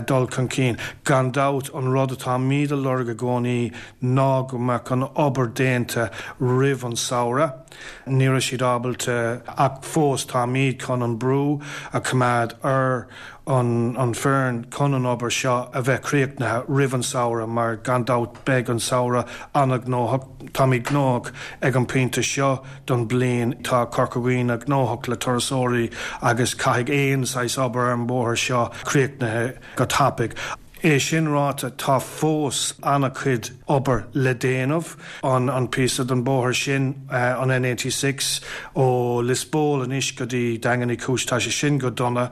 [SPEAKER 15] dul chun cinn. Gan dabht an rud atáimid a lorg i gcónaí ná go mbeadh an obair déanta roimh an samhradh. Ní raibh siad ábalta ach fós táimid chun an brú a choimeád ar an foireann chun an obair seo a bheith críochnaithe roimh an samhradh mar gan dabht beidh an samhradh an-ghnóthach. Táimid gnóthach ag an pointe seo don bliain. Tá Corca Dhuibhne gnóthach le turasóirí agus caithfidh aon saghas obair ar an bóthar seo críochnaithe go tapaidh. É sin ráite, tá fós an-chuid obair le déanamh. An píosa den bóthar sin, an N86 ó Lios Póil anois go dtí Daingean Uí Chúis, tá sé sin go dona.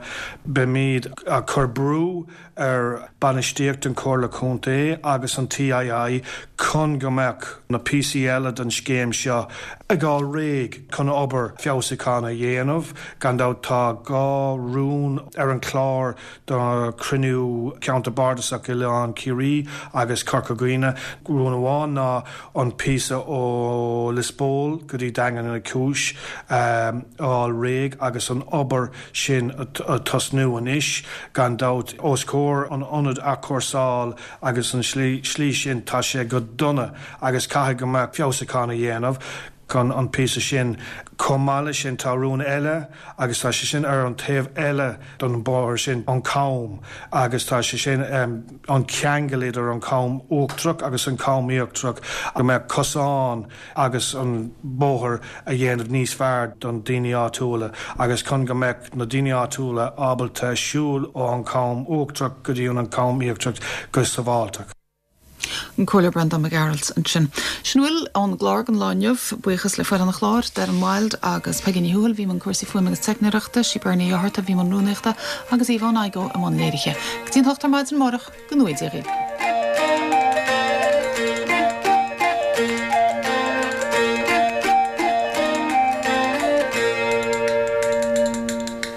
[SPEAKER 15] Beimid ag cur brú ar bainistíocht an Chomhairle Contae agus an TII chun go mbeadh na píosaí eile den scéim seo. Ag fháil réidh chun obair feabhsúcháin a dhéanamh. Gan dabht tá 2 rún ar an chlár do chruinniú Ceantar Bardasach Oileán Ciarraí agus Corca Dhuibhne. Rún amháin ná an píosa ó Lios Póil go dtí Daingean Uí Chúis a fháil réidh agus an obair sin a tosnú anois. Gan dabht os comhair an ionad athchúrsáil agus an slí sin tá sé go dona agus caithfidh go mbeadh feabhsúchán a dhéanamh chun an píosa sin. Chomh maith leis sin tá rún eile agus tá sé sin ar an taobh eile don bóthar sin, an Cam agus tá sé sin an ceangal idir an Cam Uachtarach agus an Cam Íochtarach go mbeadh cosán agus an bóthar a dhéanamh níos fearr don daoine áitiúla agus chun go mbeadh na daoine áitiúla ábalta siúl ó an Cham Uachtarach go dtí an Cam Íochtarach go sábháilteach.
[SPEAKER 1] An Comhairleoir Breandán Mac Gearailt ansin. Sin a bhfuil ón gclár don lá inniu. Buíochas le foireann an chláir, Darren Wilde agus Peigí Ní Thuathail a bhí i mbun cúrsaí fuaime agus teicneoireachta, sí Bernie Ní Fhátharta a bhí i mbun rúnaíochta agus Aoibheann Igoe i mbun léirithe. Go dtí an hocht ar maidin amárach, go ngnóthaí Dia dhaoibh.